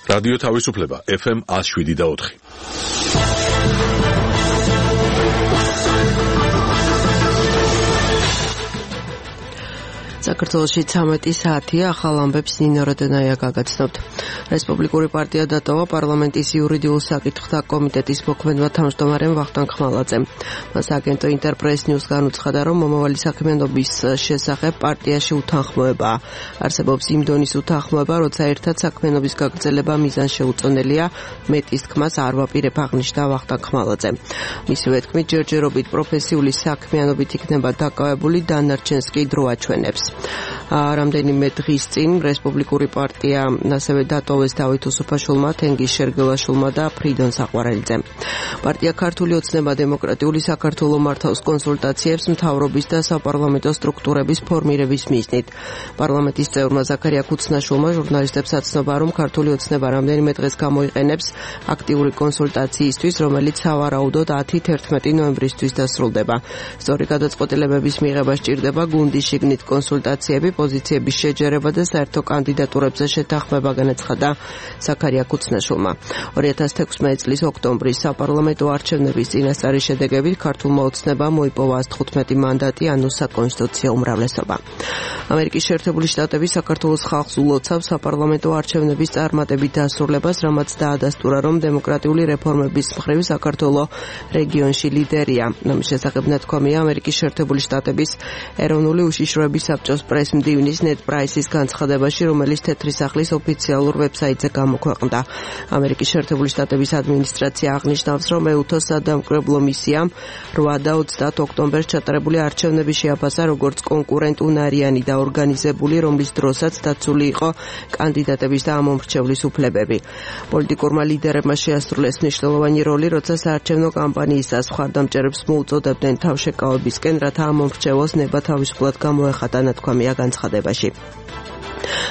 რადიო თავისუფლება FM 107.4. საქართველოში 13 საათია, ახალ ამბებს ნინო როდენაია გაგაცნობთ. რესპუბლიკური პარტია დატოვა პარლამენტის იურიდიულ საკითხთა კომიტეტის მოქმედმა თავმჯდომარემ ვახტანგ ხმალაძემ. მას აგენტო ინტერპრეს ნიუსგან უცხადა, რომ მომავალი საქმიანობის შესახებ პარტიაში უთანხმოებაა. არსებობს იმ დონის უთანხმოება, როცა ერთად საქმიანობის გაგრძელება მიზანშეუწონელია, მეტის თქმას არ ვაპირებ, აღნიშნა ვახტანგ ხმალაძემ. მისივე თქმით, ჯერჯერობით პროფესიული საქმიანობით იქნება დაკავებული, დანარჩენს კი დრო აჩვენებს. რამდენიმე დღის წინ რესპუბლიკური პარტია ასევე დატოვეს დავით უსუფაშვილმა, თენგიზ შერგელაშვილმა და ფრიდონ საყვარელიძემ. პარტია ქართული ოცნება დემოკრატიული საქართველოს მართავს კონსულტაციებს მთავრობის და საპარლამენტო სტრუქტურების ფორმირების მიზნით. პარლამენტის წევრმა ზაქარია ქუცნაშვილმა ჟურნალისტებს აცნობა, რომ ქართული ოცნება რამდენიმე დღეს გამოიყენებს აქტიური კონსულტაციისთვის, რომელიც სავარაუდოდ 10-11 ნოემბრისთვის დასრულდება. სწორი გადაწყვეტილებების მიღება სჭირდება გუნდის შიგნით კონსულტაციები, პოზიციების შეჯერება და საერთო კანდიდატურებზე შეთანხმება, განაცხადა ზაქარია ქუცნაშვილმა. 2016 წლის ოქტომბრის საპარლამენტო არჩევნების წინასწარი შედეგებით ქართულმა ოცნებამ მოიპოვა 115 მანდატი, ანუ საკონსტიტუციო უმრავლესობა. ამერიკის შეერთებული შტატები საქართველოს ხალხს ულოცავს საპარლამენტო არჩევნების წარმატებით დასრულებას, რამაც დაადასტურა, რომ დემოკრატიული რეფორმების მხრივ საქართველოს რეგიონში ლიდერია. ამის შესახებ ნათქვამია ამერიკის შეერთებული შტატების ეროვნული უშიშროების საბჭოს პრეს-მდივნის ნედ პრაისის განცხადებაში, რომელიც თეთრი სახლის ოფიციალურ ვებსაიტზე გამოქვეყნდა. ამერიკის შეერთებული შტატების ადმინისტრაცია აღნიშნავს, რომ EUTHO-ს სადამკვირვებლო მისიამ 8 და 20 ოქტომბერს ჩატარებული არჩევნები შეაფასა როგორც კონკურენტუნარიანი და ორგანიზებული, რომლის დროსაც დაცული იყო კანდიდატების და ამომრჩევლის უფლებები. პოლიტიკურმა ლიდერებმა შეასრულეს მნიშვნელოვანი როლი, როცა საარჩევნო კამპანიისას მხარდამჭერებს მოუწოდებდნენ თავშეკავებისკენ, რათა ამომრჩევოს ნება თავისუფლად გამოეხატა, ნათქვამია განცხადებაში.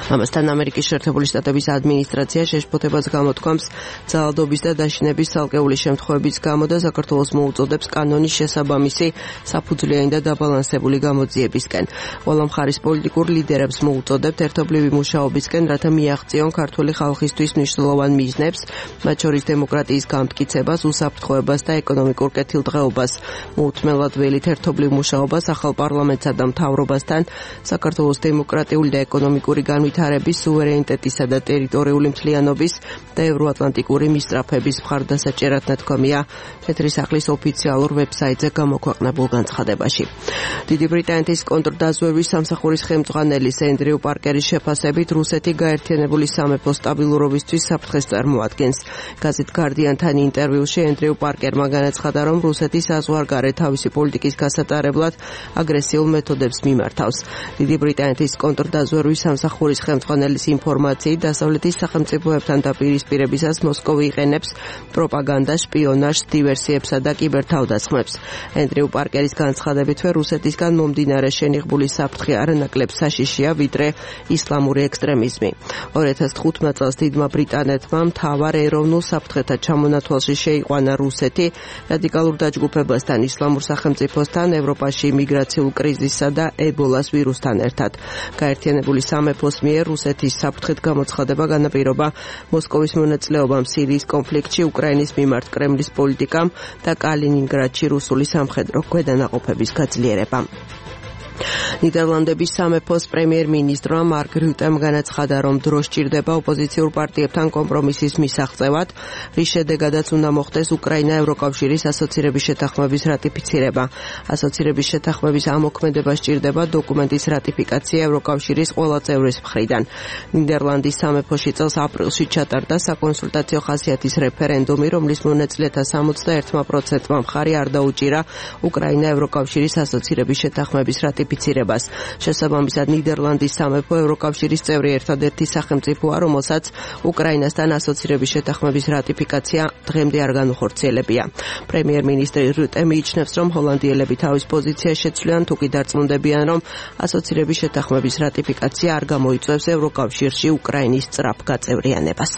ამასთან ამერიკის შეერთებული შტატების ადმინისტრაცია შეშფოთებას გამოთქვამს ძალადობის და დაშინების ცალკეული შემთხვევების გამო და საქართველოს მოუწოდებს კანონის შესაბამისი საფუძვლიანი და დაბალანსებული გამოძიებისკენ. ყველა მხარის პოლიტიკურ ლიდერებს მოუწოდებთ ერთობლივი მუშაობისკენ, რათა მიაღწიონ ქართული ხალხისთვის მნიშვნელოვან მიზნებს, მათ შორის დემოკრატიის გამტკიცებას, უსაფრთხოებას და ეკონომიკურ კეთილდღეობას. მოუთმენლად ველით ერთობლივ მუშაობას ახალ პარლამენტსა და მთავრობასთან, საქართველოს დემოკრატიული და ეკონომიკური განვითარების, სუვერენიტეტისა და ტერიტორიული მთლიანობის და ევროატლანტიკური მისწრაფების მხარდასაჭერად, ნათქვამია თეთრი სახლის ოფიციალურ ვებსაიტზე გამოქვეყნებულ განცხადებაში. დიდი ბრიტანეთის კონტრდაზვერვის სამსახურის ხელმძღვანელის ენდრიუ პარკერის შეფასებით, რუსეთი გაერთიანებული სამეფოს სტაბილურობისთვის საფრთხეს წარმოადგენს. გაზეთ Guardian-თან ინტერვიუში ენდრიუ პარკერმა განაცხადა, რომ რუსეთი საზღვარგარეთ თავისი პოლიტიკის გასატარებლად აგრესიულ მეთოდებს მიმართავს. დიდი ბრიტანეთის კონტრდაზვერვის სამსახურის ხელმძღვანელის ინფორმაციით, დასავლეთის სახელმწიფოებთან დაპირისპირებისას მოსკოვი იყენებს პროპაგანდას, შპიონაჟს, დივერსიებსა და კიბერთავდასხმებს. ენდრიუ პარკერის განცხადებითვე, რუსეთისგან მომდინარე შენიღბული საფრთხე არანაკლებ საშიშია, ვიდრე ისლამური ექსტრემიზმი. 2015 წელს დიდმა ბრიტანეთმა მთავარ ეროვნულ საფრთხეთა ჩამონათვალში შეიყვანა რუსეთი რადიკალურ დაჯგუფებასთან, ისლამურ სახელმწიფოსთან, ევროპაში იმიგრაციულ კრიზისსა და ებოლას ვირუსთან ერთად. გაერთიანებული სამეფოს მიერ რუსეთის საფრთხეთ გამოცხადება განაპირობა მოსკოვის მონაწილეობამ სირიის კონფლიქტში, უკრაინის მიმართ კრემლის პოლიტიკამ და კალინინგრადში რუსული სამხედრო ქვედანაყოფების გაძლიერებამ. ნიდერლანდების სამეფოს პრემიერ-მინისტრმა მარკ რუტემ განაცხადა, რომ დრო სჭირდება ოპოზიციურ პარტიებთან კომპრომისის მისაღწევად, რის შედეგადაც უნდა მოხდეს უკრაინა ევროკავშირის ასოცირების შეთანხმების რატიფიცირება. ასოცირების შეთანხმების ამოქმედება სჭირდება დოკუმენტის რატიფიკაცია ევროკავშირის ყველა წევრის მხრიდან. ნიდერლანდის სამეფოში წელს აპრილში ჩატარდა საკონსულტაციო ხასიათის რეფერენდუმი, რომლის მონაწილეთა 61%-მა მხარი არ დაუჭირა უკრაინა ევროკავშირის ასოცირების შეთანხმების რატიფიკაციას. შესაბამისად, ნიდერლანდის სამეფო ევროკავშირის წევრი ერთადერთი სახელმწიფოა, რომელსაც უკრაინასთან ასოცირების შეთანხმების რატიფიკაცია დღემდე არ განუხორციელებია. პრემიერ-მინისტრი რუტე მიიჩნევს, რომ ჰოლანდიელები თავის პოზიციას შეცვლიან, თუკი დარწმუნდებიან, რომ ასოცირების შეთანხმების რატიფიკაცია არ გამოიწვევს ევროკავშირში უკრაინის სწრაფ გაწევრიანებას.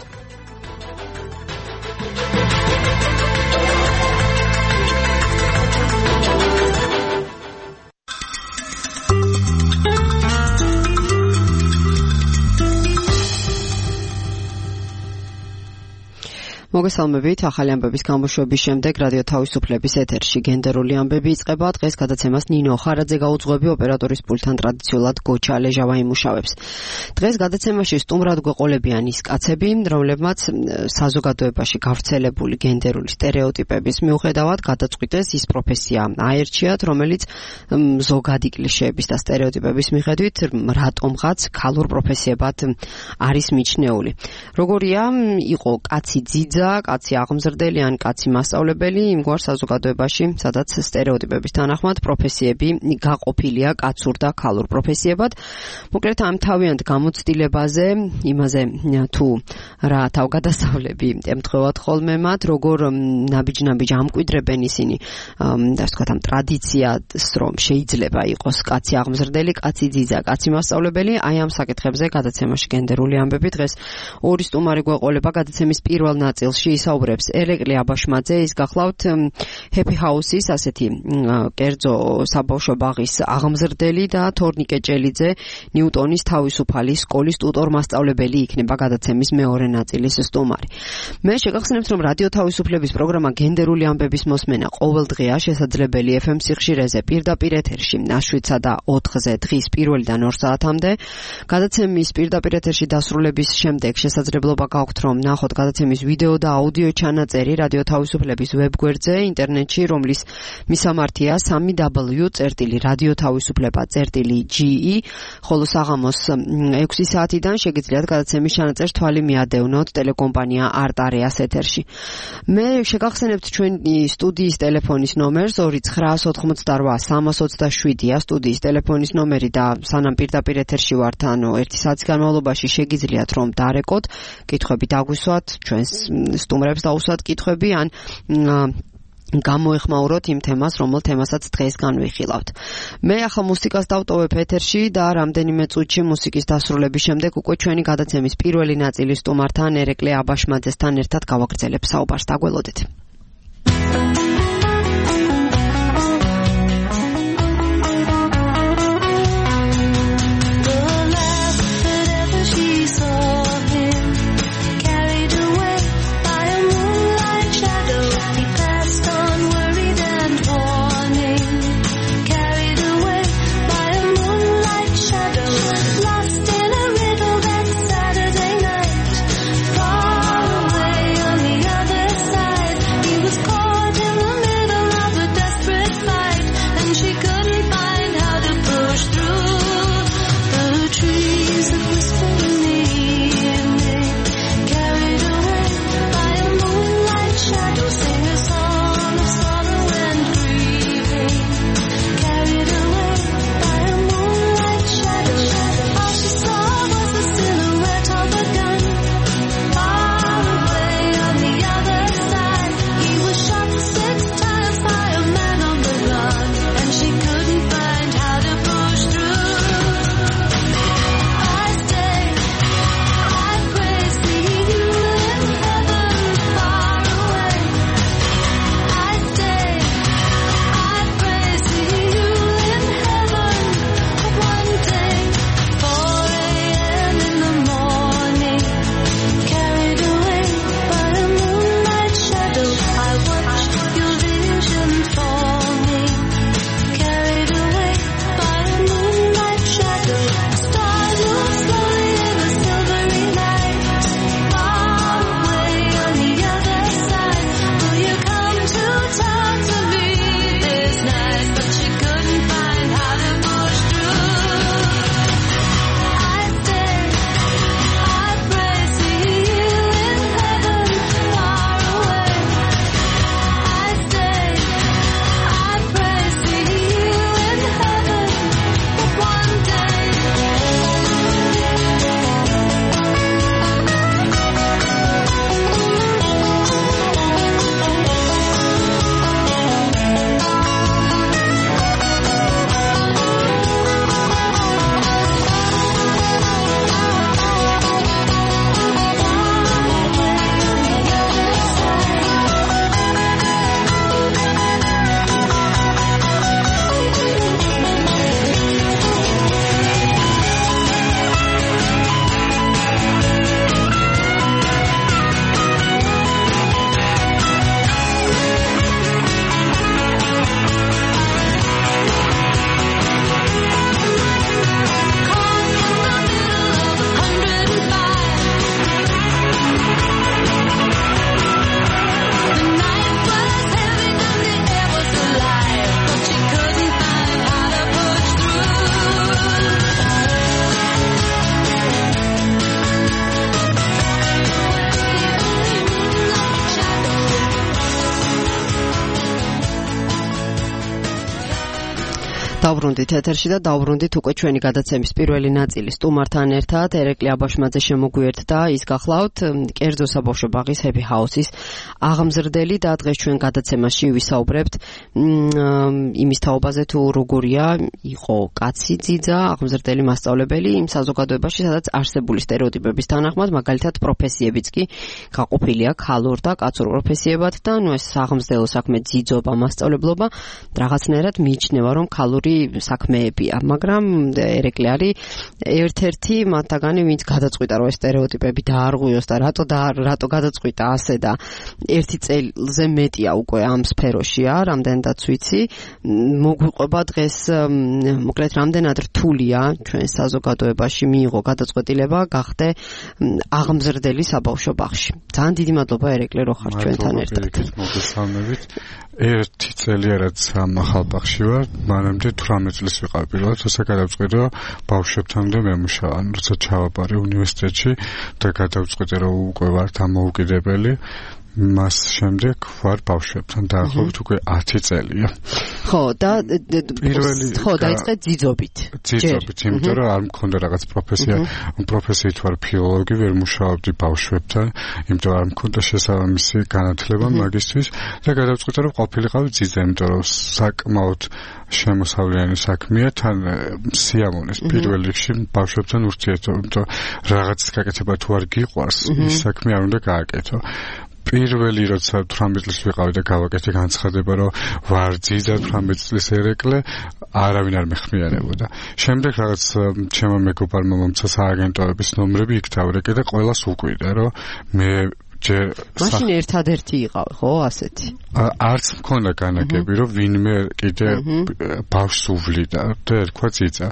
მოგესალმებით, ახალი ამბების გამოშვების შემდეგ რადიო თავისუფლების ეთერში გენდერული ამბები იწყება. დღეს გადაცემას ნინო ხარაძე გაუძღვები, ოპერატორის პულტთან ტრადიციულად გოჩა ლეჟავა იმუშავებს. დღეს გადაცემაში სტუმრად გვეყოლებიან ის კაცები, რომლებმაც საზოგადოებაში გავრცელებული გენდერული სტერეოტიპების მიუხედავად გადაწყვიტეს ის პროფესია აერჩიათ, რომელიც ზოგადი კლიშეების და სტერეოტიპების მიხედვით რატომღაც ქალურ პროფესიებად არის მიჩნეული. როგორია იყო კაცი ძიძა, კაცი აღმზრდელი ან კაცი მასწავლებელი იმგვარ საზოგადოებაში, სადაც სტერეოტიპების თანახმად პროფესიები გაყოფილია კაცურ და ქალურ პროფესიებად. მოკლედ ამ თავიანთ გამოცდილებაზე, იმაზე თუ რა თავგადასავლები ემთხვევათ ხოლმე მათ, როგორ ნაბიჯ-ნაბიჯ ამკვიდრებენ ისინი და ასე ვთქვათ ამ ტრადიციას, რომ შეიძლება იყოს კაცი აღმზრდელი, კაცი ძიძა, კაცი მასწავლებელი, აი ამ საკითხებზე გადაცემაში გენდერული ამბები დღეს ორი სტუმარი გვეყოლება. გადაცემის პირველ ნაწილში ისაუბრებს ელეკლი აბაშმაძე, ის გახლავთ ჰეპი ჰაუსის ასეთი კერძო საბავშვო ბაღის აღმზრდელი და თორნიკე ჭელიძე ნიუტონის თავისუფალი სკოლის ტუტორ მასწავლებელი იქნება გადაცემის მეორე ნაწილის სტუმარი. მე შეგახსენებთ, რომ რადიო თავისუფლების პროგრამა გენდერული ამბების მოსმენა ყოველდღეა შესაძლებელი FM სიხშირეზე პირდაპირ ეთერში 7-სა და 4-ზე დღის პირველიდან 2 საათამდე. გადაცემის პირდაპირ ეთერში დასრულების შემდეგ შესაძლებლობა გაქვთ, რომ ნახოთ გადაცემის ვიდეო და აუდიო ჩანაწერი რადიო თავისუფლების ვებგვერდზე ინტერნეტში, რომლის მისამართია www.radiotavisufleba.ge, ხოლო საღამოს 6 საათიდან შეგიძლიათ გადაცემის ჩანაწერს თვალი მიადევნოთ ტელეკომპანია არტარეას ეთერში. მე შეგახსენებთ ჩვენი სტუდიის ტელეფონის ნომერს 2988327-ია სტუდიის ტელეფონის ნომერი და სანამ პირდაპირ ეთერში ვართ, ანუ 1 საათის განმავლობაში შეგიძლიათ რომ დარეკოთ, კითხვები დაგვისვათ, ჩვენს სტუმრებს დაუსვათ კითხვები ან გამოეხმაუროთ იმ თემას, რომელ თემასაც დღეს განვიხილავთ. მე ახლა მუსიკას დავტოვებ ეთერში და რამდენიმე წუთში მუსიკის დასრულების შემდეგ უკვე ჩვენი გადაცემის პირველი ნაწილის სტუმართან ერეკლე აბაშმაძესთან ერთად გავაგრძელებ საუბარს. დაგველოდეთ. Saturday night, far away on the other side. დავბრუნდით ეთერში და დავბრუნდით უკვე ჩვენი გადაცემის პირველი ნაწილი სტუმართან ერთად ერეკლე აბაშმაძე შემოგვიერთდა ის გახლავთ კერძო საბავშვო ბაღის Happy House-ის აღმზრდელი და დღეს ჩვენ გადაცემაში ვისაუბრებთ იმის თაობაზე თუ როგორია იყო კაცი ძიძა აღმზრდელი მასწავლებელი იმ საზოგადოებაში სადაც არსებული სტერეოტიპების თანახმად მაგალითად პროფესიებიც კი გაყოფილია ქალურ და კაცურ პროფესიებად და ნუ ეს აღმზრდელო საქმე ძიძობა მასწავლებლობა რაღაცნაირად მიიჩნევა რომ ქალური საქმეებია, მაგრამ ერეკლე არის ერთ-ერთი მათგანი, ვინც გადაწყვიტა რომ ეს სტერეოტიპები დაარღვიოს და რატო გადაწყვიტა ასე და ერთი წელზე მეტია უკვე ამ სფეროშია, რამდენადაც ვიცი. მოგვიყვება დღეს მოკლედ რამდენად რთულია ჩვენ საზოგადოებაში მიიღო გადაწყვეტილება გახდე აღმზრდელი საბავშვო ბაღში. ძალიან დიდი მადლობა ერეკლე რომ ხარ ჩვენთან ერთად. მოგესალმებით. ერთი წელი რაც ამ ახალ ბაღში ვარ, მანამდე 18 წლის ვიყავ პირველად, როცა გადავწყვიტე ბავშვებთანამდე მემუშავა, როცა ჩავაბარე უნივერსიტეტში და გადავწყვიტე რომ უკვე ვარ დამოუკიდებელი. მას შემდეგ ვარ ბავშვებთან დაახლოებით უკვე 10 წელია. ხო, და დაიწყე ძიძობით. ძიძობით, იმიტომ რომ არ მქონდა რაღაც პროფესია, პროფესიით ვარ ფილოლოგი, ვერ მუშაობდი ბავშვებთან, იმიტომ რომ არ მქონდა შესაბამისი განათლება მაგისტრის და გადავწყვიტე რომ ყოფილიყავი ძიძა, იმიტომ რომ საკმაოდ შემოსავლიანი საქმეა, თან სიამოვნეს პირველ რიგში ბავშვებთან ურთიერთობა, იმიტომ რაღაც გაკეთება თუ არ გიყვარს, ის საქმე არ უნდა გააკეთო. პირველი როცა 18 წლის ვიყავი და გავაკეთე განცხადება რომ ვარ ძიძა 18 წლის ერეკლე არავინ არ მეხმიანებოდა. შემდეგ რაღაც ჩემო მეგობარმა მომცა სააგენტოების ნომრები იქ დავრეკე და ყველას უკვირდა რომ მე მაშინ ერთადერთი იყავ, ხო, ასეთი. არც მქონდა განაგები, რომ ვინმე კიდე ბავშვს უვლიდა და ერქვა ძიძა.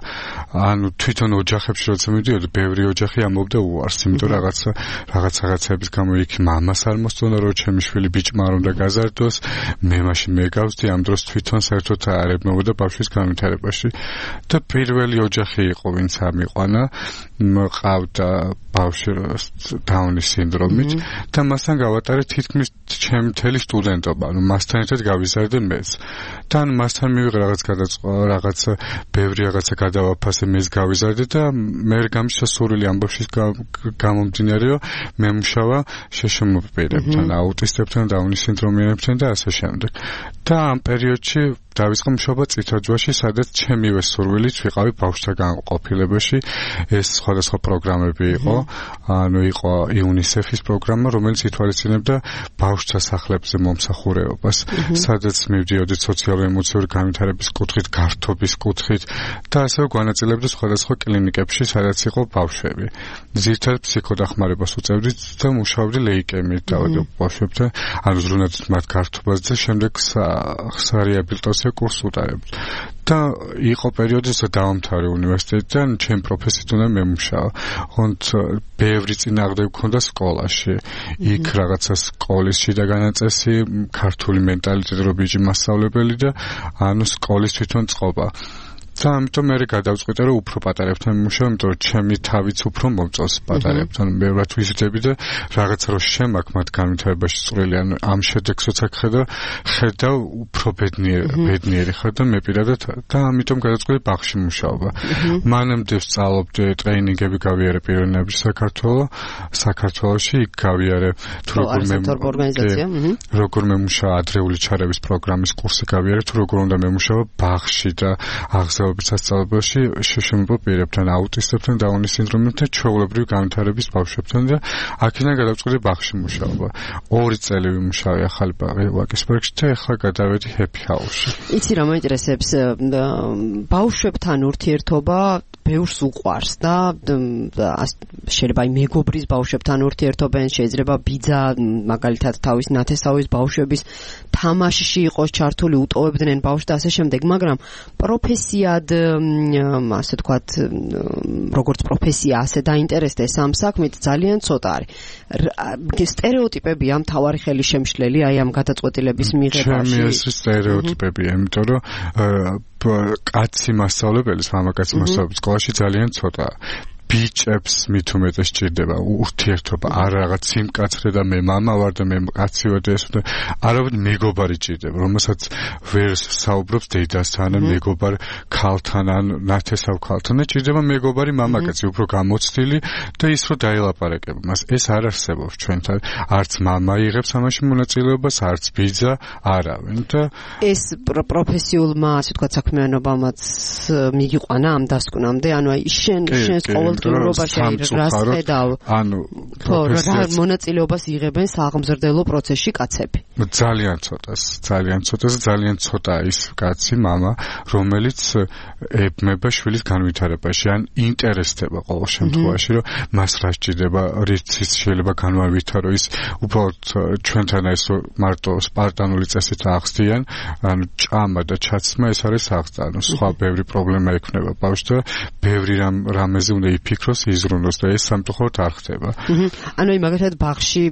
ანუ თვითონ ოჯახებში როცა მივიდიოდი, ბევრი ოჯახი ამბობდა უარს, იმიტომ რაღაცების გამო იქ მამას არ მოსწონდა, რომ ჩემი შვილი ბიჭმა არ უნდა გაზარდოს, მე მაშინ მეგავსდი, ამ დროს თვითონ საერთოდ არ ებმებოდა ბავშვის განვითარებაში. და პირველი ოჯახი იყო, ვინც ამიყვანა, მყავდა ბავშვი დაუნის სინდრომით. და მასთან გავატარე თითქმის ჩემი მთელი სტუდენტობა, ანუ მასთან ერთად გავიზარდე მეც. და ანუ მასთან მივიღე რაღაც ბევრი რაღაცა გადავაფასე, მეც გავიზარდე და მე გამიშვა სურვილი ამბავშის გამომდინარე, რომ მემუშავა შეშმოპირებთან, აუტისტებთან, დაუნის სინდრომიანებთან და ასე შემდეგ. და ამ პერიოდში დავიწყე მუშაობა წითელჯვარში, სადაც ჩემივე სურვილით ვიყავი ბავშვთა განყოფილებაში. ეს სხვადასხვა პროგრამები იყო, ანუ იყო UNICEF-ის პროგრამა, რომელიც ითვალისწინებდა ბავშვთა სახლებზე მომსახურეობას, სადაც მივდიოდი სოციალურ-ემოციური განვითარების კუთხით, გართობის კუთხით და ასევე განაწილებდი სხვადასხვა კლინიკებში, სადაც იყო ბავშვები. ძირითადად ფსიქოდახმარებას უწევდით და მუშაობდი ლეიკემიით ბავშვებთან, ანუ ზრუნავდით მათ გართობას და შემდეგ სარეაბილიტაციო კურსს უტარებთ. და იყო პერიოდი, როცა დავამთავრე უნივერსიტეტიდან, ჩემ პროფესიით უნდა მემუშავა. ხონდ ბევრი წინააღმდეგი მქონდა სკოლაში. იქ რაღაცა სკოლის შიდა განაწესი, ქართული მენტალიტეტი რო ბიჭი მასწავლებელი და ანუ სკოლის თვითონ წყობა. და ამიტომ მე გადავწყვიტე რომ უფრო პატარებთან მუშაობ, იმიტომ რომ ჩემი თავიც უფრო მომწონს პატარებთან. მე რა თვითები და რაღაცა რო შემაქ მათ განვითარებაში წვრილი, ანუ ამ შედეგს როცა ხედავ უფრო ბედნიერი ხარ და მე პირადად და ამიტომ გადავწყვიტე ბაღში მუშაობა. მანამდე ვსწავლობდი, ტრეინინგები გავიარე პიროვნებაში საქართველოში, იქ გავიარე თუ როგორ მემუშავა ადრეული ჩარევის პროგრამის კურსი გავიარე, თუ როგორ უნდა მემუშავა ბაღში და სასწავლებელში შეშმოპირებთან, აუტისტებთან, დაუნის სინდრომებთან, ჩვეულებრივი განვითარების ბავშვებთან და აქედან გადავწყვიტე ბაღში მუშაობა. 2 წელი ვიმუშავე ახალი ვაკისბერგში და ახლა გადავედი Happy House-ში. იცი რა მაინტერესებს, ბავშვებთან ურთიერთობა ბევრს უყვარს და შეიძლება მეგობრის ბავშვებთან ურთიერთობენ, შეიძლება ბიძა მაგალითად თავის ნათესავის ბავშვების თამაშში იყოს ჩართული, უტოვებდნენ ბავშვს და ასე შემდეგ, მაგრამ პროფესიად, ასე თქვათ, როგორც პროფესია, ასე დაინტერესდეს ამ საქმით ძალიან ცოტა არის. სტერეოტიპებია მთავარი ხელისშემშლელი აი ამ გადაწყვეტილების მიღებაში. ჩემი ეს სტერეოტიპებია, იმიტომ რომ კაცი მასწავლებლის, მამაკაცი მასწავლებლის სკოლაში ძალიან ცოტაა. ბიჭებს მით უმეტეს ჭირდება ურთიერთობა, არ რაღაც სიმკაცრე და მე მამა ვარ და მე კაცი ვარ და ეს არავით მეგობარი ჭირდება, რომელსაც ვერ საუბრობს დედასთან, მეგობარ ქალთან ან ნათესავ ქალთან, ჭირდება მეგობარი მამაკაცი, უფრო გამოცდილი და ის რომ დაელაპარაკება მას. ეს არ არსებობს ჩვენთან. არც მამა იღებს ამაში მონაწილეობას, არც ბიძა, არავინ და ეს პროფესიულმა, ასე ვთქვათ, საქმიანობამაც მიგიყვანა ამ დასკვნამდე, ანუ აი შენს ყოველდღიურობაში რას ხედავ? ანუ რა მონაწილეობას იღებენ სააღმზრდელო პროცესში კაცები? ძალიან ძალიან ცოტა ის კაცი მამა, რომელიც ებმება შვილის განვითარებაში, ან ინტერესდება ყოველ შემთხვევაში, რომ მას რა სჭირდება, რითიც შეიძლება განვითარო ის უბრალოდ ჩვენთან ეს მარტო სპარტანული წესით აღსდიან, ანუ ჭამა და ჩაცმა ეს არის აღსდა, ანუ სხვა ბევრი პრობლემა ექნება ბავშვს და ბევრი რამეზე უნდა იფიქროს, იზრუნოს და ეს სამწუხაროდ არ ხდება. ანუ მაგალითად ბაღში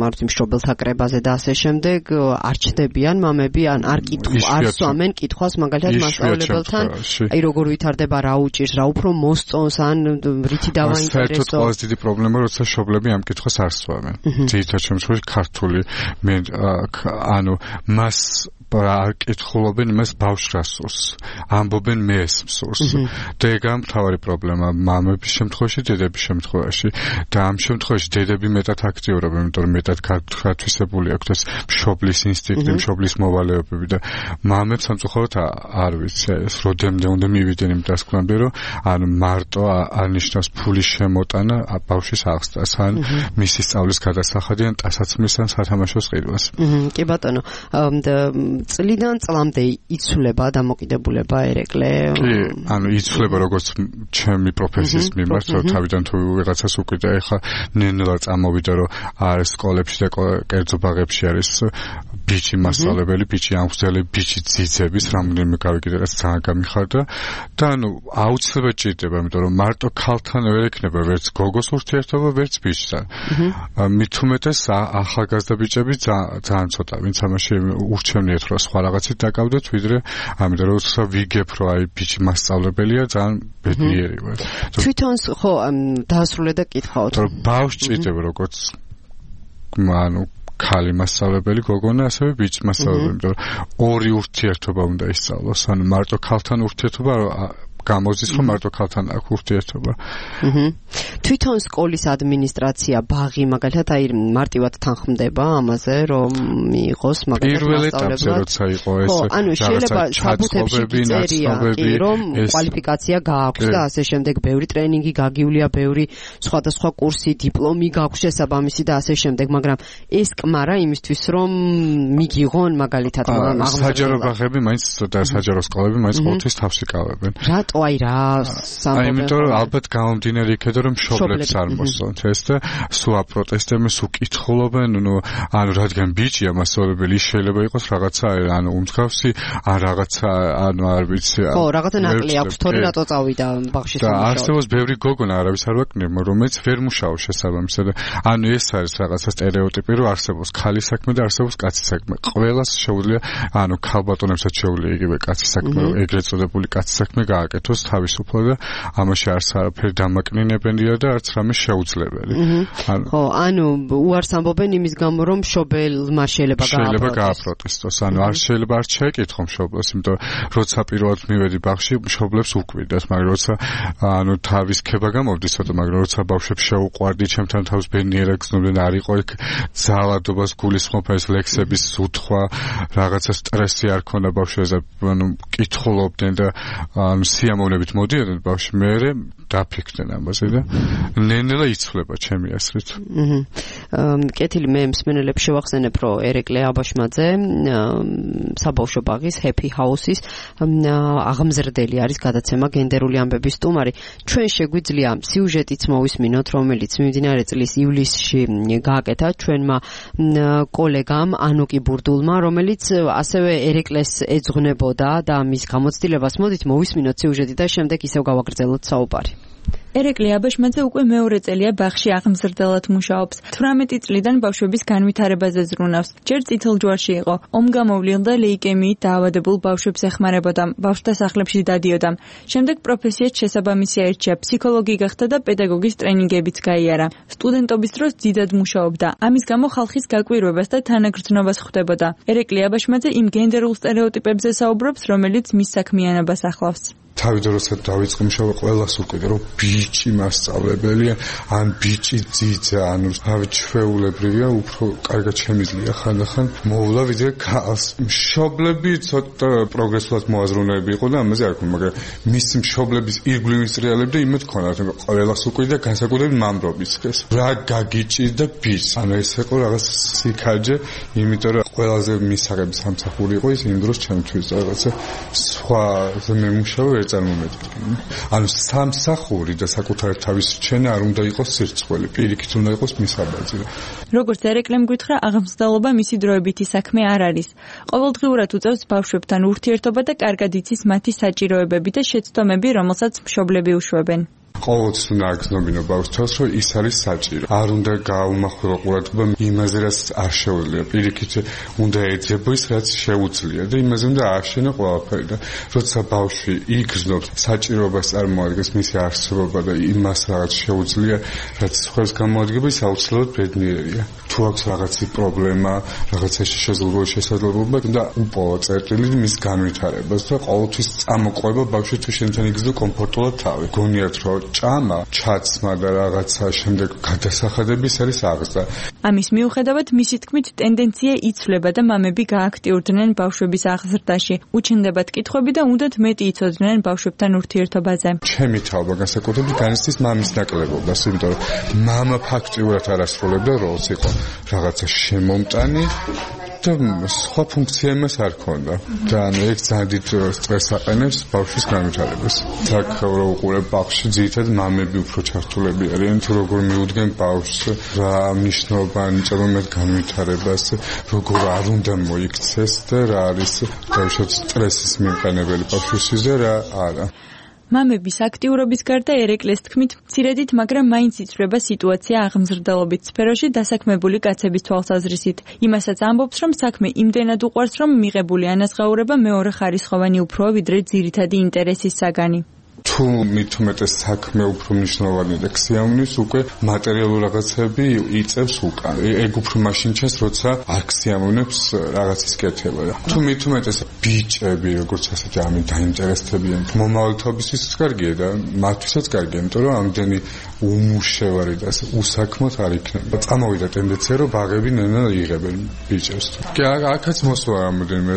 მარტო მშობელთა კრებაზე და ასე შემდეგ არ ჩდებიან მამები, ან არ სვამენ კითხვას მაგალითად მასწავლებელთან, აი როგორ ვითარდება, რა უჭირს, რა უფრო მოსწონს, ან რითი დავაინტერესო. საერთოდ ყველაზე დიდი პრობლემა, როცა მშობლები ამ კითხვას არ სვამენ. ძირითადად შემთხვევაში ქართული ანუ მას არ კითხულობენ იმას ბავშვს რა სურს, ამბობენ მე ეს მსურს და ეგაა მთავარი პრობლემა მამების შემთხვევაში, დედების შემთხვევაში და ამ შემთხვევაში დედები მეტად აქტიურობენ, იმიტომ რომ მეტად გათვისებული აქვთ ეს მშობლის ინსტინქტი, მშობლის მოვალეობები და მამებს სამწუხაროდ არ ვიცი ეს როდემდე უნდა მივიდნენ იმ დასკვნამდე, რომ ანუ მარტო არნიშნავს ფულის შემოტანა ბავშვის აღსდას ან მისი სწავლის გადასახადი ან ტანსაცმლის ან სათამაშოს ყიდვას. კი ბატონო, წლიდან წლამდე იცვლება დამოკიდებულება ერეკლე? კი, ანუ იცვლება როგორც ჩემი პროფესიის მიმართ, რომ თავიდან თუ ვიღაცას უკიდა, ეხლა ნენელა წამოვიდა, რომ არის სკოლებში და კერძო ბაღებში არის ბიჭი მასწავლებელი, ბიჭი ამხსნელი, ბიჭი ძიძების, რამდენიმე გავიგე რაც ძალიან გამიხარდა და ანუ აუცილებლად ჭირდება, იმიტომ რომ მარტო ქალთან ვერ ექნება ვერც გოგოს ურთიერთობა, ვერც ბიჭთან. მით უმეტეს ახალგაზრდა ბიჭები ძალიან ცოტა, ვინც ამაში ურჩევნიათ რომ სხვა რაღაცით დაკავდეთ, ვიდრე ამიტომ რომ ვიგებ რომ აი ბიჭი მასწავლებელია, ძალიან ბედნიერი ვარ. თვითონ ხო დაასრულე და კითხავთ. რომ ბავშვს ჭირდება როგორც ანუ ქალი მასწავლებელი გოგონა, ასევე ბიჭი მასწავლებელი, იმიტომ რომ ორი ურთიერთობა უნდა ისწავლოს, ანუ მარტო ქალთან ურთიერთობა გამოდის, რომ მარტო ქალთან აქვს ურთიერთობა. თვითონ სკოლის ადმინისტრაცია, ბაღი მაგალითად აი მარტივად თანხმდება ამაზე, რომ მიიღოს მაგალითად პირველ ეტაპზე როცა იყო ეს ანუ შეიძლება საბუთებში წერია, რომ კვალიფიკაცია გააქვს და ასე შემდეგ, ბევრი ტრენინგი გაგიულია, ბევრი სხვადასხვა კურსი, დიპლომი გააქვს შესაბამისი და ასე შემდეგ, მაგრამ ეს კმარა იმისთვის, რომ მიგიღონ მაგალითად საჯარო ბაღები მაინც და საჯარო სკოლები მაინც ყოველთვის თავს იკავებენ. აი რა აი იმიტომ რომ ალბათ გამომდინარე იქედო რომ მშობლებს არ მოსწონთ ეს და სულ აპროტესტებენ, სულ კითხულობენ, ანუ რადგან ბიჭია მასწავლებელი, შეიძლება იყოს რაღაცა ანუ უმსხავსი, ან რაღაცა ანუ არ ვიცი. ხო, რაღაცა ნაკლი აქვს, თორე რატო წავიდა ბაღში სამუშაოდ. და არსებობს ბევრი გოგონა, არავის არ ვაკნევ, რომელიც ვერ მუშაობს შესაბამისად. ანუ ეს არის რაღაცა სტერეოტიპი, რომ არსებობს ქალის საქმე და არსებობს კაცის საქმე. ყველას შეუძლია, ანუ ქალბატონებსაც შეუძლია იგივე კაცის საქმე, ეგრეთ წოდებული კაცის საქმე გააკეთოს თავისუფლად და ამაში არც არაფერი დამაკნინებელია და არც რამე შეუძლებელი. ხო, ანუ უარს ამბობენ იმის გამო, რომ მშობელმა შეიძლება გააპროტესტოს. ანუ არ შეიძლება არ შეეკითხო მშობელს, იმიტომ როცა პირველად მივედი ბაღში, მშობლებს უკვირდათ, მაგრამ როცა ანუ თავის ქება გამოვდის, მაგრამ როცა ბავშვებს შეუყვარდი, ჩემთან თავს ბედნიერად გრძნობდნენ, არ იყო იქ ძალადობას გულისხმობა, ეს ლექსების უთქვა, რაღაცა სტრესი არ ქონდა ბავშვებზე, ანუ კითხულობდნენ და ანუ სიამოვნებით მოდიოდნენ ბავშვი, მერე დაფიქრდნენ ამაზე და ნენელა იცვლება ჩემი აზრით. კეთილი, მე მსმენელებს შევახსენებ, რომ ერეკლე აბაშმაძე საბავშვო ბაღის Happy House-ის აღმზრდელი არის, გადაცემა გენდერული ამბების სტუმარი. ჩვენ შეგვიძლია სიუჟეტიც მოვისმინოთ, რომელიც მიმდინარე წლის ივლისში გააკეთა ჩვენმა კოლეგამ ანუკი ბურდულმა, რომელიც ასევე ერეკლეს ეძღვნებოდა და მის გამოცდილებას მოდით მოვისმინოთ სიუჟეტი და შემდეგ ისევ გავაგრძელოთ საუბარი. ერეკლე აბაშმაძე უკვე მეორე წელია ბაღში აღმზრდელად მუშაობს. 18 წლიდან ბავშვების განვითარებაზე ზრუნავს. ჯერ წითელ ჯვარში იყო. ომგამოვლილ და ლეიკემიით დაავადებულ ბავშვებს ეხმარებოდა. ბავშვთა სახლებში დადიოდა. შემდეგ პროფესიად შესაბამისი აირჩია. ფსიქოლოგი გახდა და პედაგოგის ტრენინგებიც გაიარა. სტუდენტობის დროს დიდად მუშაობდა. ამის გამო ხალხის გაკვირვებას და თანაგრძნობას ხვდებოდა. ერეკლე აბაშმაძე იმ გენდერულ სტერეოტიპებზე საუბრობს, რომელიც მის საქმიანობას ახლავს. თავიდან როცა დავიწყე მუშაობა ყველას უყვირდა რომ ბიჭი მასწავლებელია ან ბიჭი ძიძა ანუ თავი ჩვეულებრივია უფრო კარგად შემიძლია ხანდახან მოვლა ვიდრე ქალს მშობლები ცოტა პროგრესულად მოაზროვნეები იყო და ამაზე არ ქონდა მაგრამ მისი მშობლების ირგვლივ რეალებდა იმით ქონდა რომ ყველას უყვირდა განსაკუთრებით მამრობის ხეს რა გაგიჭირდა ბიჭს ანუ ეს იყო რაღაც სიქაჯე იმიტომ რომ ყველაზე მისაღები სამსახური იყო ის იმ დროს ჩემთვის რაღაცა სხვა მემუშავე ანუ სამსახური და საკუთარ თავის რჩენა არ უნდა იყოს სირცხველი, პირიქით უნდა იყოს მისაბაძი. როგორც ერეკლემ გითხრა, აღმზრდელობა მისი დროებითი საქმე არ არის. ყოველდღიურად უწევს ბავშვებთან ურთიერთობა და კარგად იცის მათი საჭიროებები და შეცდომები, რომელსაც მშობლები უშვებენ. ყოველთვის უნდა აგრძნობინო ბავშვს, რომ ის არის საჭირო. არ უნდა გაუმახვილო ყურადღება იმაზე, რაც არ შეუძლია. პირიქით უნდა ეძებო ის, რაც შეუძლია და იმაზე უნდა ააშენო ყველაფერი და როცა ბავშვი იგრძნობს საჭიროებას წარმოადგენს მისი არსებობა და იმას რაღაც შეუძლია, რაც სხვას გამოადგება, ის აუცილებლად ბედნიერია. თუ აქვს რაღაცი პრობლემა, რაღაცაში შესაძლებლობა და უპოვო წერტილი მის განვითარებას და ყოველთვის წამოყვება ბავშვი თუ შენთან იგრძნო კომფორტულად თავი. გონიათ რომ ჭამა, ჩაცმა და რაღაცა შემდეგ გადასახადების არის აღზრდა. ამის მიუხედავად, მისი თქმით, ტენდენცია იცვლება და მამები გააქტიურდნენ ბავშვების აღზრდაში. უჩნდებათ კითხვები და უნდათ მეტი იცოდნენ ბავშვებთან ურთიერთობაზე. ჩემი თავობა განსაკუთრებით განიცდის მამის ნაკლებობას, იმიტომ რომ მამა ფაქტიურად არ ასრულებდა როლს, იყო რაღაცა შემომტანი და სხვა ფუნქცია იმას არ ქონდა და ეგ ძალიან დიდ სტრესს აყენებს ბავშვის განვითარებას. აქ რო უყურებ ბავშვი ძირითადად მამები უფრო ჩართულები არიან თუ როგორ მიუდგენ ბავშვს რა მნიშვნელობა ანიჭება მათ განვითარებას როგორ არ უნდა მოიქცეს და რა არის ბავშვის სტრესის მიმყენებელი ბავშვისთვის და რა არა. მამების აქტიურობის გარდა ერეკლეს თქმით, მცირედით, მაგრამ მაინც იცვლება სიტუაცია აღმზრდელობით სფეროში დასაქმებული კაცების თვალსაზრისით. იმასაც ამბობს, რომ საქმე იმდენად უყვარს, რომ მიღებული ანაზღაურება მეორეხარისხოვანი უფროა, ვიდრე ძირითადი ინტერესის საგანი. თუ მithumetes საქმე უფრო მნიშვნელოვანია და ქსიამვნის უკვე მატერიალური რაღაცები იწევს უკან. ეგ უფრო მაშინ ჩანს, როცა არ ქსიამვნებს რაღაცის კეთება. თუ მithumetes ბიჭები, როგორც ასეთი ამით დაინტერესდებიან, მომავალთაობისთვის კარგია და მათთვისაც კარგია, იმიტომ რომ ამდენი უმუშევარი და უსაქმოდ არ იქნება. წამოვიდა ტენდენცია, რომ ბაღები ნენა იღებენ ბიჭებს. კი, აქაც მოსვა რამოდენიმე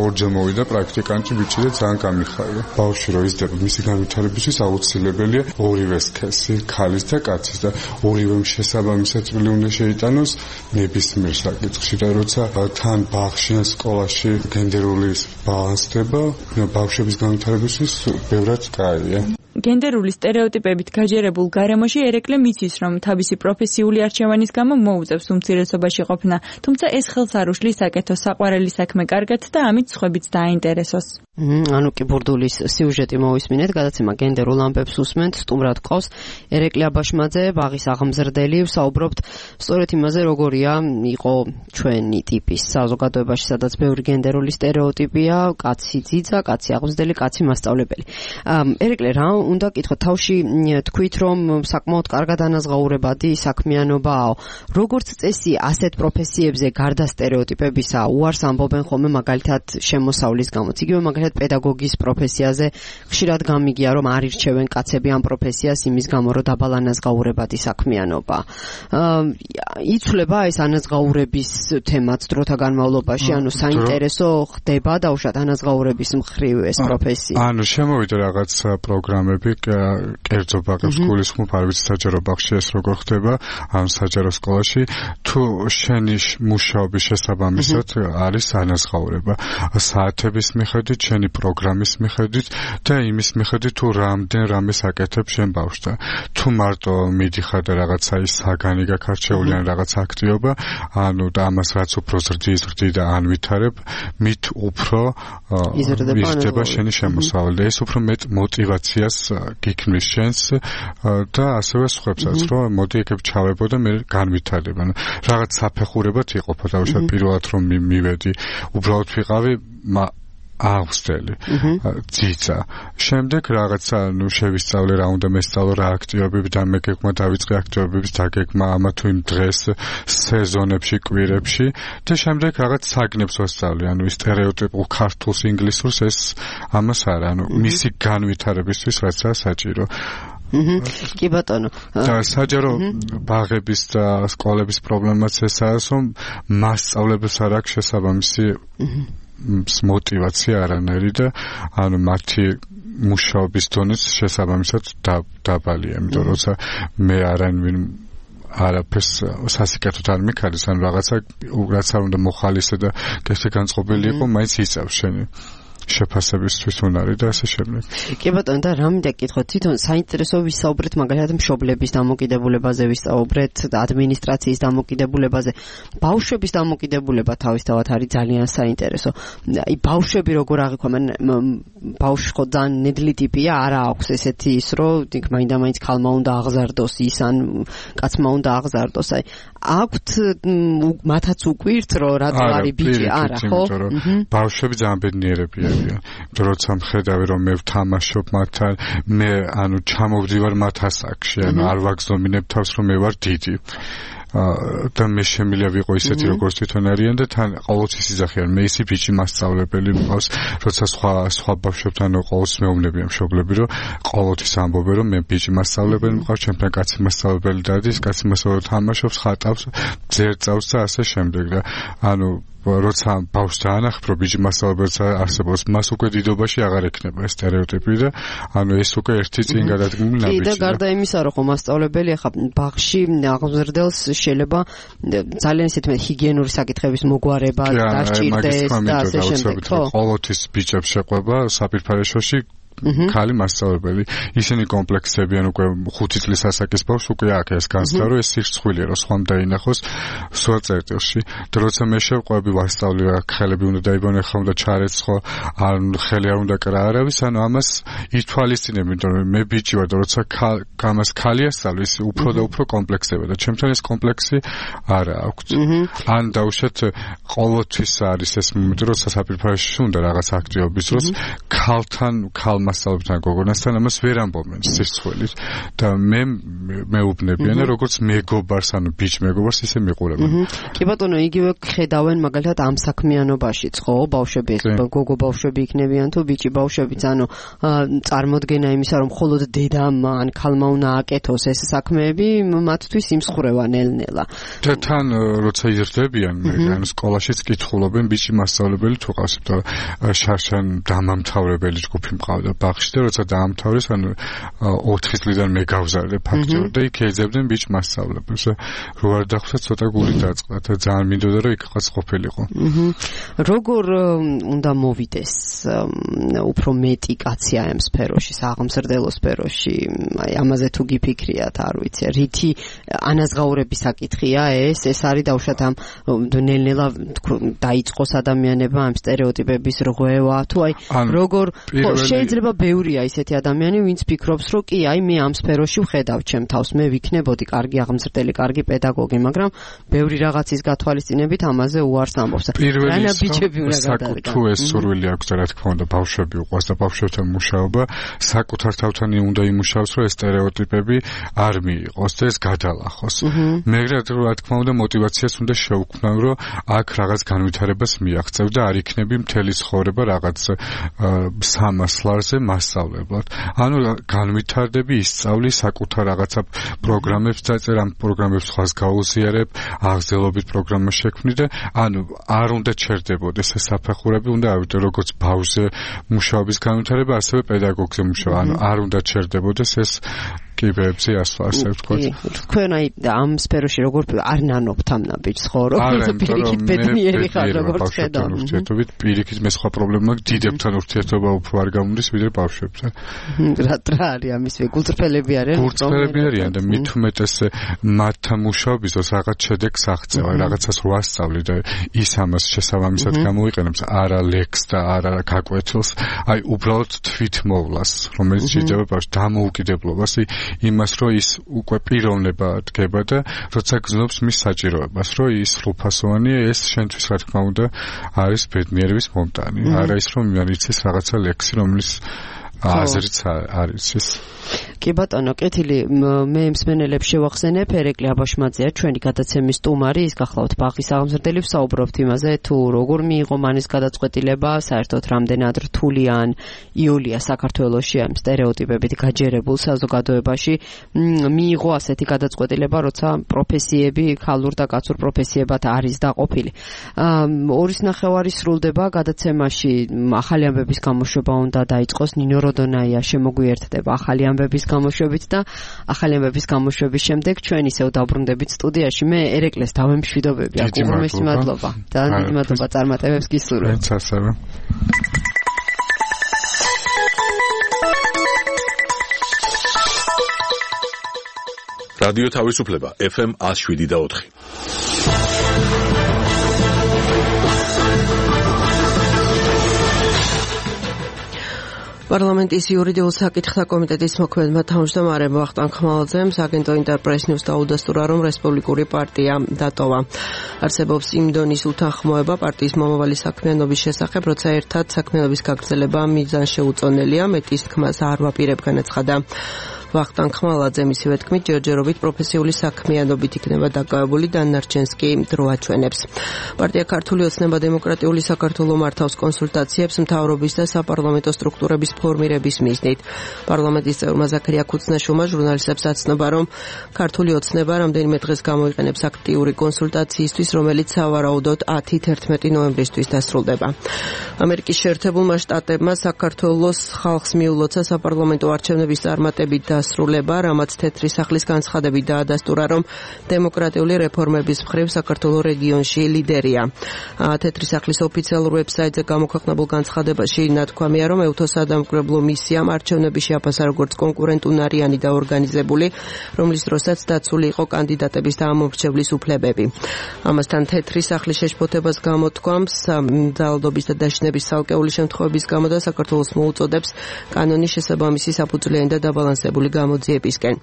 ორჯერ მოვიდა პრაქტიკანტი ბიჭი და ძალიან გამიხარდა. ბავშვი რო იზრდება, მისი განვითარებისთვის აუცილებელია ორივე სქესი, ქალის და კაცის და ორივე შესაბამისად წვლილი უნდა შეიტანოს ნებისმიერ საკითხში და როცა თან ბაღში ან სკოლაში გენდერული ბალანსდება, ბავშვების განვითარებისთვის ბევრად კაია. გენდერული სტერეოტიპებით გაჯერებულ გარემოში ერეკლე მიცის, რომ თავისი პროფესიული არჩევანის გამო მოუწევს უმცირესობაში ყოფნა, თუმცა ეს ხელს არ უშლის აკეთოს საყვარელი საქმე კარგად და ამით სხვებიც დააინტერესოს. ანუ კი ბურდულის სიუჟეტი მოვისმინეთ, გადაცემა გენდერულ ამბებს უსმენთ, სტუმრად ყავს ერეკლე აბაშმაძე, ბაღის აღმზრდელი, ვსაუბრობთ სწორედ იმაზე, როგორია იყო ჩვენი ტიპის საზოგადოებაში, სადაც ბევრი გენდერული სტერეოტიპია, კაცი ძიძა, კაცი აღმზრდელი, კაცი მასწავლებელი. ერეკლე რა უნდა კითხოთ, თავში თქვით, რომ საკმაოდ კარგად ანაზღაურებადი საქმიანობაა. როგორც წესი, ასეთ პროფესიებზე გარდა სტერეოტიპებისა, უარს ამბობენ ხოლმე მაგალითად შემოსავლის გამოც. იგივე მაგალითად პედაგოგის პროფესიაზე ხშირად გამიგია, რომ არ ირჩევენ კაცები ამ პროფესიას იმის გამო, რომ დაბალ ანაზღაურებადი საქმიანობა. იცვლება ეს ანაზღაურების თემაც დროთა განმავლობაში, ანუ საინტერესო ხდება დაუშვათ ანაზღაურების მხრივ ეს პროფესია. ანუ შემოვიდა რაღაც პროგრამები, კერძო ბაღებს გულისხმობ, არ ვიცი საჯარო ბაღში ეს როგორ ხდება, ან საჯარო სკოლაში, თუ შენი მუშაობის შესაბამისად არის ანაზღაურება. საათების მიხედვით შენ შენი პროგრამის მიხედვით და იმის მიხედვით თუ რამეს აკეთებ შენ ბავშვთან. თუ მარტო მიდიხარ და რაღაცა ის საგანი გაქარჩეული ან რაღაც აქტივობა, ანუ და ამას რაც უფრო ზრდი და ანვითარებ, მით უფრო იზრდება შენი შემოსავალი და ეს უფრო მეტ მოტივაციას გიქმნის შენს და ასევე სხვებსაც, რომ მოდი ეგებ ჩავებო და მე განვითარებ. ანუ რაღაც საფეხურებად იყოფა თავშად პირველად რომ მივედი, უბრალოდ ვიყავი აღვსტელი ძიძა. შემდეგ რაღაცა შევისწავლე რა უნდა მესწავლო რა აქტივობები და მეგეგმა დავიწყე აქტივობების დაგეგმა ამა თუ იმ დღეს სეზონებში კვირებში და შემდეგ რაღაც საგნებს ვასწავლე. ანუ სტერეოტიპულ ქართულს ინგლისურს ეს ამას არა. ანუ მისი განვითარებისთვის რაცაა საჭირო. კი ბატონო. და საჯარო ბაღების და სკოლების პრობლემაც ესაა, რომ მასწავლებლებს არ აქვს შესაბამისი მოტივაცია არანაირი და ანუ მათი მუშაობის დონეც შესაბამისად დაბალია. იმიტომ რომ მე არაფერს სასიკეთოდ არ მიქარის, ანუ რაღაცა რაც არ უნდა მოხალისე და გესე განწყობილი იყო, მაინც იწევს შენი შეფასებისთვის უნარი და ასე შემდეგ. კი ბატონო, და რა მინდა გითხოთ, თვითონ საინტერესო ვისაუბრეთ მაგალითად მშობლების დამოკიდებულებაზე, ვისაუბრეთ ადმინისტრაციის დამოკიდებულებაზე. ბავშვების დამოკიდებულება თავისთავად არის ძალიან საინტერესო. აი ბავშვები როგორ აღიქვამენ, ბავშვი ხო ძალიან ნედლი ტიპია, არა აქვს ესეთი ის, რომ მაინდა-მაინც ქალმა უნდა აღზარდოს ის ან კაცმა უნდა აღზარდოს. აი აქვთ მათაც უკვირთ, რომ რატო არის ბიჭი, არა ხო? ბავშვები ძალიან ბედნიერებია. როცა მხედავი რომ მე ვთამაშობ მათთან, მე ანუ ჩამოვდივარ მათ ასაკში, ანუ არ ვაგზნობინებ თავს რომ მე ვარ დიდი. და მე შემიძლია ვიყო ისეთი როგორც თვითონ არიან და თან ყოველთვის იზახიან მე ისი ბიჭი მასწავლებელი მყავს, როცა სხვა ბავშვებთან ყოველთვის მეუბნებიან მშობლები რომ ყოველთვის ამბობენ რომ მე ბიჭი მასწავლებელი მყავს, ჩემთან კაცი მასწავლებელი დადის, კაცი მასწავლებელი თამაშობს, ხატავს, ძერწავს და ასე შემდეგ და ანუ როცა ბავშვს დაანახებ რომ ბიჭი მასწავლებელს არსებობს, მას უკვე დიდობაში აღარ ექნება ეს სტერეოტიპი და ანუ ეს უკვე ერთი წინ გადადგმული ნაბიჯია. და გარდა იმისა რომ მასწავლებელი ახლა ბაღში აღმზრდელს შეიძლება ძალიან ისეთი ჰიგიენური საკითხების მოგვარება დასჭირდეს და ასე შემდეგ. ყოველთვის ბიჭებს შეყვება საპირფარეშოში ქალი მასწავლებელი. ისინი კომპლექსებიან უკვე 5 წლის ასაკის ბავშვს უკვე აქ ეს განცდა რომ ეს სირცხვილია რომ სხვამ დაინახოს სხვა წერტილში. და როცა მე შევყვები ვასწავლი რა ხელები უნდა დაიბანო, ხომ და ჩარეცხო, ან ხელი არ უნდა კრა არავის, ანუ ამას ითვალისწინებ, იმიტომ რომ მე ბიჭი ვარ და როცა გამას ხალი ასწავლი, ის უფრო და უფრო კომპლექსდება და ჩემთან ეს კომპლექსი არა აქვს. ან დაუშვათ ყოველთვის არის ეს მომენტი, როცა საპირფარეში უნდა რაღაც აქტივობის დროს ქალ მასწავლებთან გოგონასთან ამას ვერ ამბობენ სირცხვილით და მეუბნებიან როგორც მეგობარს, ანუ ბიჭ მეგობარს ისე მიყურებენ. კი ბატონო, იგივე ხედავენ მაგალითად ამ საქმიანობაშიც, ხო, ბავშვები, გოგო ბავშვები იქნებიან თუ ბიჭი ბავშვებიც, ანუ წარმოდგენა იმისა, რომ მხოლოდ დედამ ან ქალმა უნდა აკეთოს ეს საქმეები, მათთვის იმსხვრევა ნელ-ნელა. და თან როცა იზრდებიან, ანუ სკოლაშიც კითხულობენ ბიჭი მასწავლებელი თუ ყავს, და შარშან დამამთავრებელი ჯგუფი მყავდა ბაღში და როცა დაამთავრეს, ანუ 4 წლიდან მე გავზარდე ფაქტიურად და იქ ეძებდნენ ბიჭ მასწავლებელს. რო არ დახვდა ცოტა გული დაწყდა და ძალიან მინდოდა რომ იქაც ყოფილიყო. როგორ უნდა მოვიდეს უფრო მეტი კაცია ამ სფეროში, საღამზრდელო სფეროში, აი ამაზე თუ გიფიქრიათ, არ ვიცი, რითი ანაზღაურების საკითხია ეს არის დაუშვათ ამ ნელ-ნელა დაიწყოს ადამიანებმა ამ სტერეოტიპების რღვევა, თუ აი როგორ შეიძლება ბევრია ისეთი ადამიანი, ვინც ფიქრობს, რომ კი, აი მე ამ სფეროში ვხედავ ჩემ თავს, მე ვიქნებოდი კარგი აღმზრდელი, კარგი პედაგოგი, მაგრამ ბევრი რაღაცის გათვალისწინებით ამაზე უარს ამბობს. რანა ბიჭები უნდა გადადგან. თუ ეს სურვილი აქვს და რა თქმა უნდა ბავშვები უყვარს და ბავშვებთან მუშაობა, საკუთარ თავთან უნდა იმუშაოს, რომ ეს სტერეოტიპები არ მიიღოს და ეს გადალახოს. მაგრამ რა თქმა უნდა მოტივაციას უნდა შევქმნან, რომ აქ რაღაც განვითარებას მიაღწევ და არ იქნები მთელი ცხოვრება რაღაც სამასლარზე მასწავლებლად. ანუ განვითარდები, ისწავლი საკუთარ რაღაცა პროგრამებს დაწერე, ამ პროგრამებს სხვას გაუზიარებ, აღზრდელობით პროგრამა შექმნი და ანუ არ უნდა ჩერდებოდეს ეს საფეხურები, უნდა ავიდე როგორც ბავშვზე მუშაობის განვითარება, ასევე პედაგოგზე მუშაობა. ანუ არ უნდა ჩერდებოდეს ეს კიბეებზე ასე ვთქვათ. თქვენ აი ამ სფეროში როგორ არ ნანობთ ამ ნაბიჯს ხო რომ პირიქით ბედნიერი ხარ როგორც ხედავ. ურთიერთობით პირიქით მე სხვა პრობლემა დიდებთან ურთიერთობა უფრო არ გამოდის ვიდრე ბავშვებთან. რა არის ამის გულწრფელები არიან? გულწრფელები არიან და მით უმეტეს მათთან მუშაობის დროს რაღაც შედეგს აღწევა, რაღაცას რო ასწავლი და ის ამას შესაბამისად გამოიყენებს არა ლექს და არა გაკვეთილს, აი უბრალოდ თვითმოვლას, რომელიც შეიძლება ბავშვს დამოუკიდებლობას, იმას რომ ის უკვე პიროვნება დგება და როცა გზნობს მის საჭიროებას, რომ ის სრულფასოვანი ეს შენთვის რა თქმა უნდა არის ბედნიერების მომტანი. არა ის რომ იცის რაღაცა ლექსი, რომელიც აზრიც არის ის. კი ბატონო, კეთილი, მე მსმენელებს შევახსენებ, ერეკლე აბაშმაძეა, ჩვენი გადაცემის სტუმარი, ის გახლავთ ბაღის აღმზრდელი, ვსაუბრობთ იმაზე, თუ როგორ მიიღო მანის გადაწყვეტილება, საერთოდ რამდენად რთული ან იოლია საქართველოში ამ სტერეოტიპებით გაჯერებულ საზოგადოებაში მიიღო ასეთი გადაწყვეტილება, როცა პროფესიები ქალურ და კაცურ პროფესიებად არის დაყოფილი. 2.5 სრულდება გადაცემაში ახალი ამბების გამოშვება უნდა დაიწყოს, ნინო როდონაია შემოგვიერთდება ახალი ამბების გამოშვებით და ახალი ამბების გამოშვების შემდეგ ჩვენ ისევ დავბრუნდებით სტუდიაში. მე ერეკლეს დავემშვიდობები, აკურმესი მადლობა. ძალიან დიდი მადლობა წარმატებებს გისურვებ. მეც ასევე. რადიო თავისუფლება FM 107.4. პარლამენტის იურიდიულ საკითხთა კომიტეტის მოქმედმა თავმჯდომარემ ვახტანგ ხმალაძემ სააგენტო ინტერპრეს ნიუს დაუდასტურა, რომ რესპუბლიკური პარტია დატოვა. არსებობს იმ დონის უთანხმოება პარტიის მომავალი საქმიანობის შესახებ, როცა ერთად საქმიანობის გაგრძელება მიზანშეუწონელია, მეტის თქმას არ ვაპირებ, განაცხადა. ვახტანგ ხმალაძემ ისევე თქმით, ჯერჯერობით პროფესიული საქმიანობით იქნება დაკავებული, დანარჩენს კი დრო აჩვენებს. პარტია ქართული ოცნება დემოკრატიული საქართველოს მართავს კონსულტაციებს მთავრობის და საპარლამენტო სტრუქტურების ფორმირების მიზნით. პარლამენტის წევრმა ზაქარია ქუცნაშვილმა ჟურნალისტებს აცნობა, რომ ქართული ოცნება რამდენიმე დღეს გამოიყენებს აქტიური კონსულტაციისთვის, რომელიც სავარაუდოდ 10-11 ნოემბრისთვის დასრულდება. ამერიკის შეერთებულმა შტატებმა საქართველოს ხალხს მიულოცა საპარლამენტო არჩევნების წარმატებით დასრულება, რამაც თეთრი სახლის განცხადებით დაადასტურა, რომ დემოკრატიული რეფორმების მხრივ საქართველოს რეგიონში ლიდერია. თეთრი სახლის ოფიციალურ ვებსაიტზე გამოქვეყნებულ განცხადებაში ნათქვამია, რომ ევთოსადამკვირვებლო მისიამ არჩევნების შეაფასა როგორც კონკურენტუნარიანი და ორგანიზებული, რომლის დროსაც დაცული იყო კანდიდატების და ამომრჩევლის უფლებები. ამასთან თეთრი სახლის შეშფოთებას გამოთქვამს ძალადობის და დაშინების ცალკეული შემთხვევების გამო და საქართველოს მოუწოდებს კანონის შესაბამისი საფუძვლიანი და დაბალანსებული გამოძიებისკენ.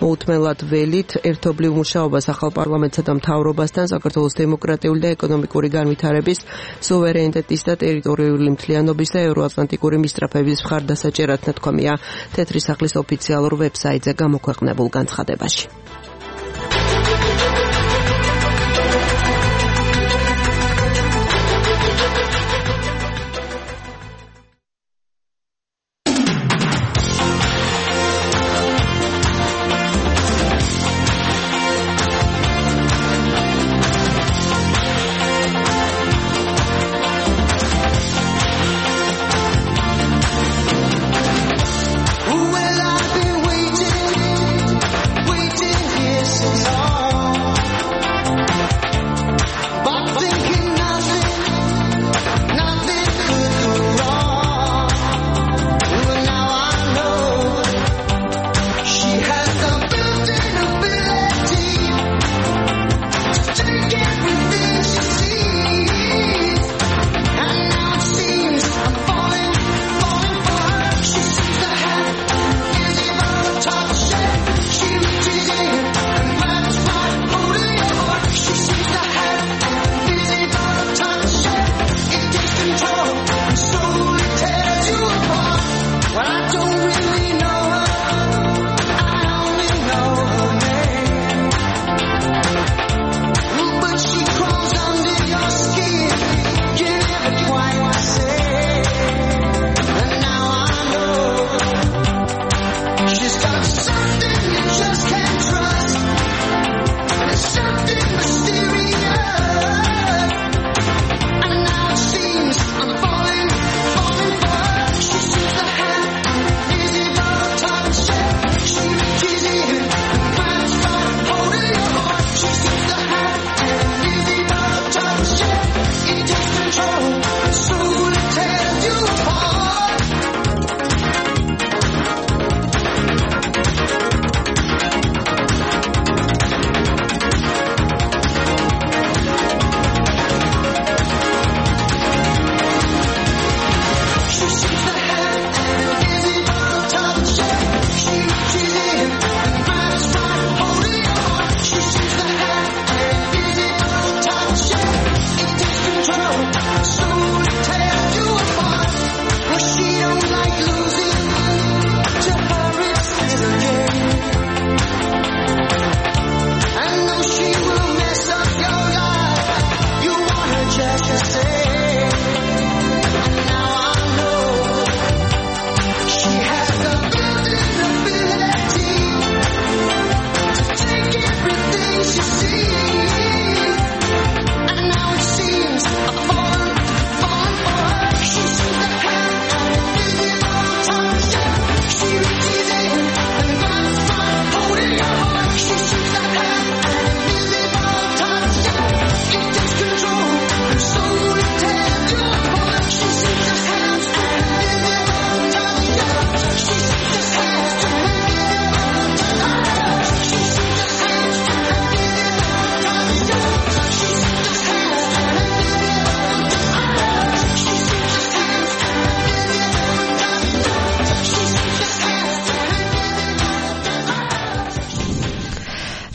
მოუთმენლად ველით ერთობლივ მუშაობას ახალ პარლამენტსა და მთავრობასთან საქართველოს დემოკრატიული და ეკონომიკური განვითარების, სუვერენიტეტის და ტერიტორიული მთლიანობის და ევროატლანტიკური მისწრაფების მხარდასაჭერად ნათქვამია თეთრი სახლის ოფიციალურ ვებსაიტზე გამოქვეყნებულ განცხადებაში. Well, I've been waiting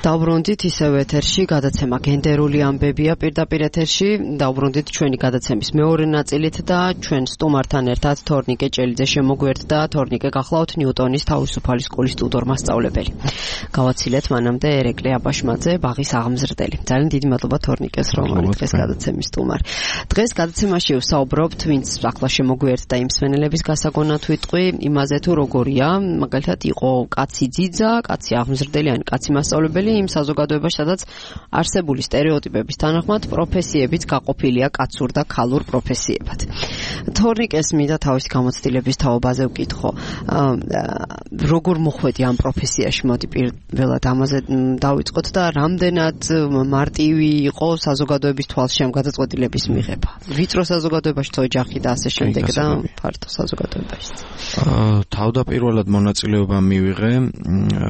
დავბრუნდით ისევ ეთერში გადაცემა გენდერული ამბებია პირდაპირ ეთერში დავბრუნდით ჩვენი გადაცემის მეორე ნაწილით და ჩვენ სტუმართან ერთად თორნიკე ჭელიძე შემოგვერდა თორნიკე გახლავთ ნიუტონის თავისუფალი სკოლის ტუტორ მასწავლებელი გავაცილეთ მანამდე ერეკლე აბაშმაძე ბაღის აღმზრდელი ძალიან დიდი მადლობა თორნიკეს რომ არის დღეს გადაცემის სტუმარი დღეს გადაცემაში ვსაუბრობთ ვინც ახლა შემოგვერდა იმ მსმენელების გასაგონად ვიტყვი იმაზე თუ როგორია მაგალითად იყო კაცი ძიძა კაცი აღმზრდელი კაცი მასწავლებელი იმ საზოგადოებაში, სადაც არსებული სტერეოტიპების თანახმად პროფესიებიც გაყოფილია კაცურ და ქალურ პროფესიებად. თორნიკეს მინდა თავისი გამოცდილების თაობაზე ვკითხო. როგორ მოხვედი ამ პროფესიაში, მოდი პირველად ამაზე დავიწყოთ და რამდენად მარტივი იყო საზოგადოების თვალში ამ გადაწყვეტილების მიღება. ვიწრო საზოგადოებაში ოჯახი და ასე შემდეგ და ფართო საზოგადოებაში. თავდაპირველად მონაწილეობა მივიღე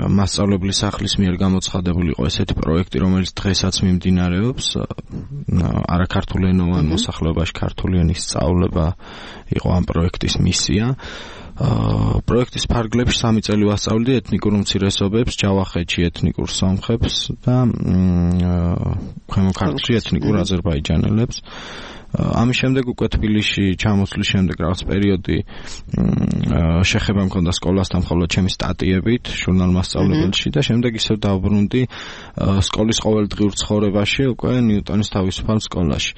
მასწავლებლის სახლის მიერ გამოცხადებული იყო ესეთი პროექტი, რომელიც დღესაც მიმდინარეობს. არაქართულენოვან მოსახლეობაში ქართული ენის სწავლება იყო ამ პროექტის მისია. პროექტის ფარგლებში 3 წელი ვასწავლდი ეთნიკურ უმცირესობებს, ჯავახეთში ეთნიკურ სომხებს და ქვემო ქართლში ეთნიკურ აზერბაიჯანელებს. ამის შემდეგ უკვე თბილისში ჩამოსვლის შემდეგ რაღაც პერიოდი შეხება მქონდა სკოლასთან მხოლოდ ჩემი სტატიებით ჟურნალ მასწავლებელში და შემდეგ ისევ დავბრუნდი სკოლის ყოველდღიურ ცხოვრებაში უკვე ნიუტონის თავისუფალ სკოლაში.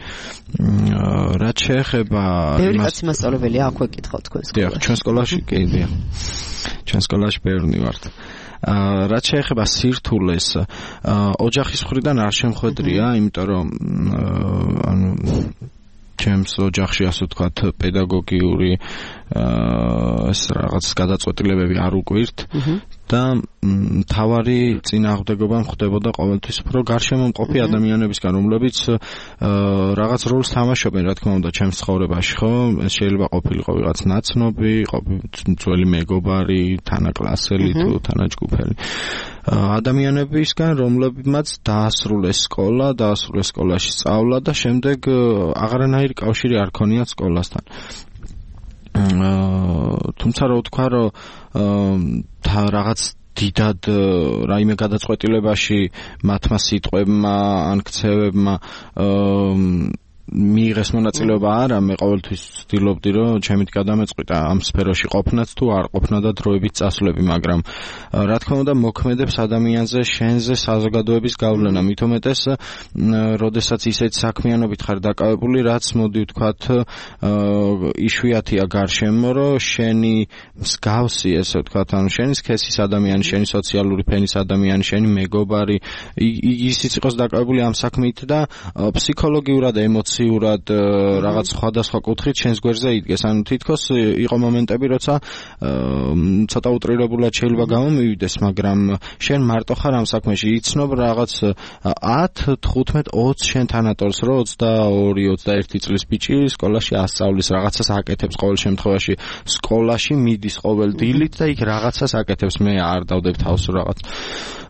რაც შეეხება ბევრი კაცი მასწავლებელია აქვე კითხავ თქვენ სკოლაში. დიახ, ჩვენ სკოლაში კი დიახ. ჩვენ სკოლაში ბევრი ვართ. რაც შეეხება სირთულეს ოჯახის მხრიდან არ შემხვედრია, იმიტომ რომ ჩემს ოჯახში ასე ვთქვათ პედაგოგიური ეს რაღაც გადაწყვეტილებები არ უკვირთ და თავარი წინააღმდეგობა ხდებოდა ყოველთვის უფრო გარშემომყოფი ადამიანებისგან, რომლებიც რაღაც როლს თამაშობენ, რა თქმა უნდა, ჩემს ცხოვრებაში, ხო? ეს შეიძლება ყოფილიყო ვიღაც ნაცნობი, ძველი მეგობარი, თანაკლასელი თუ თანაჯგუფელი. ადამიანებისგან, რომლებმაც დაასრულეს სკოლა, დაასრულეს სკოლაში სწავლა და შემდეგ აღარანაირი კავშირი არ ქონიათ სკოლასთან. თუმცა რა ვთქვა, რომ რაღაც დიდად რაიმე გადაწყვეტილებაში მათმა სიტყვებმა ან ქცევებმა მიიღეს მონაწილეობა არა, მე ყოველთვის ვცდილობდი რომ ჩემით გადამეწყვიტა ამ სფეროში ყოფნაც თუ არ ყოფნა და დროებით წასვლები, მაგრამ რა თქმა უნდა მოქმედებს ადამიანზე, შენზე საზოგადოების გავლენა, მით უმეტეს როდესაც ისეთ საქმიანობით ხარ დაკავებული, რაც მოდი ვთქვათ იშვიათია გარშემო, რომ შენი მსგავსი, ესე ვთქვათ, ანუ შენი სქესის ადამიანი, შენი სოციალური ფენის ადამიანი, შენი მეგობარი, ისიც იყოს დაკავებული ამ საქმით და ფსიქოლოგიურად ემოციურად რაღაც სხვადასხვა კუთხით შენს გვერდზე იდგეს. ანუ თითქოს იყო მომენტები, როცა ცოტა უტრირებულად შეიძლება გამომივიდეს, მაგრამ შენ მარტო ხარ ამ საქმეში, იცნობ რაღაც 10, 15, 20 შენ თანატორს, რომ 22-21 წლის ბიჭი სკოლაში ასწავლის, რაღაცას აკეთებს ყოველ შემთხვევაში, სკოლაში მიდის ყოველ დილით და იქ რაღაცას აკეთებს. მე არ დავდებ თავს რაღაც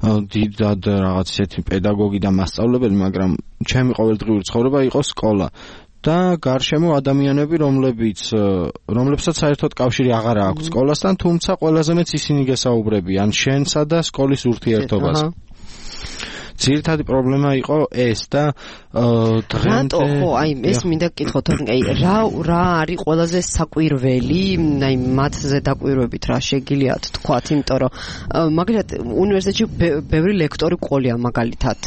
დიდად რაღაც ისეთი პედაგოგი და მასწავლებელი, მაგრამ ჩემი ყოველდღიური ცხოვრება იყო სკოლა და გარშემო ადამიანები, რომლებსაც საერთოდ კავშირი აღარ აქვს სკოლასთან, თუმცა ყველაზე მეც ისინი გესაუბრებიან შენსა და სკოლის ურთიერთობას. ძირითადი პრობლემა იყო ეს და რატო ხო აი ეს მინდა გკითხოთ, აი რა არის ყველაზე საკვირველი, აი მათზე დაკვირვებით რა შეგიძლიათ თქვათ, იმიტომ რომ მაგალითად უნივერსიტეტში ბევრი ლექტორი ყოლია, მაგალითად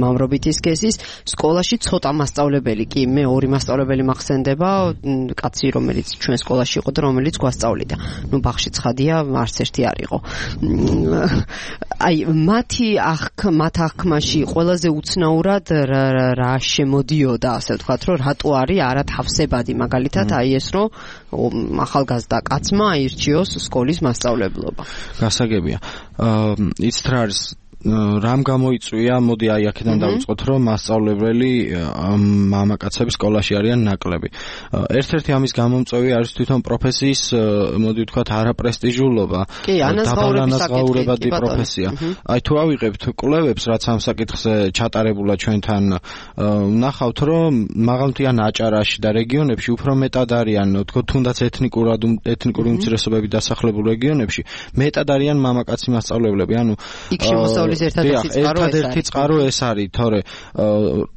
მამრობითი სქესის სკოლაში ცოტა მასწავლებელი კი, მე 2 მასწავლებელი მახსენდება, კაცი რომელიც ჩვენ სკოლაში იყო და რომელიც გვასწავლიდა. ნუ ბაღში ცხადია, არც ერთი არ იყო. აი მათ აღქმაში ყველაზე უცნაურად რა შემოდიოდა, ასე ვთქვათ, რომ რატო არის არათავსებადი, მაგალითად აი ეს რომ ახალგაზრდა კაცმა აირჩიოს სკოლის მასწავლებლობა. გასაგებია. იცით რა არის რამ გამოიწვია, მოდი აი აქედან დავიწყოთ, რომ მასწავლებელი მამაკაცები სკოლაში არიან ნაკლები. ერთ-ერთი ამის გამომწვევი არის თვითონ პროფესიის, მოდი ვთქვათ, არაპრესტიჟულობა, დაბალანაზღაურებადი პროფესია. აი თუ ავიღებთ კვლევებს, რაც ამ საკითხზე ჩატარებულა ჩვენთან, ვნახავთ, რომ მაღალმთიან აჭარაში და რეგიონებში უფრო მეტად არიან, თქო, თუნდაც ეთნიკური უმცირესობები დასახლებულ რეგიონებში, მეტად არიან მამაკაცი მასწავლებლები, ანუ იქ შემოსავლელი პრობლემების ერთადერთი წყარო ეს არის, თორე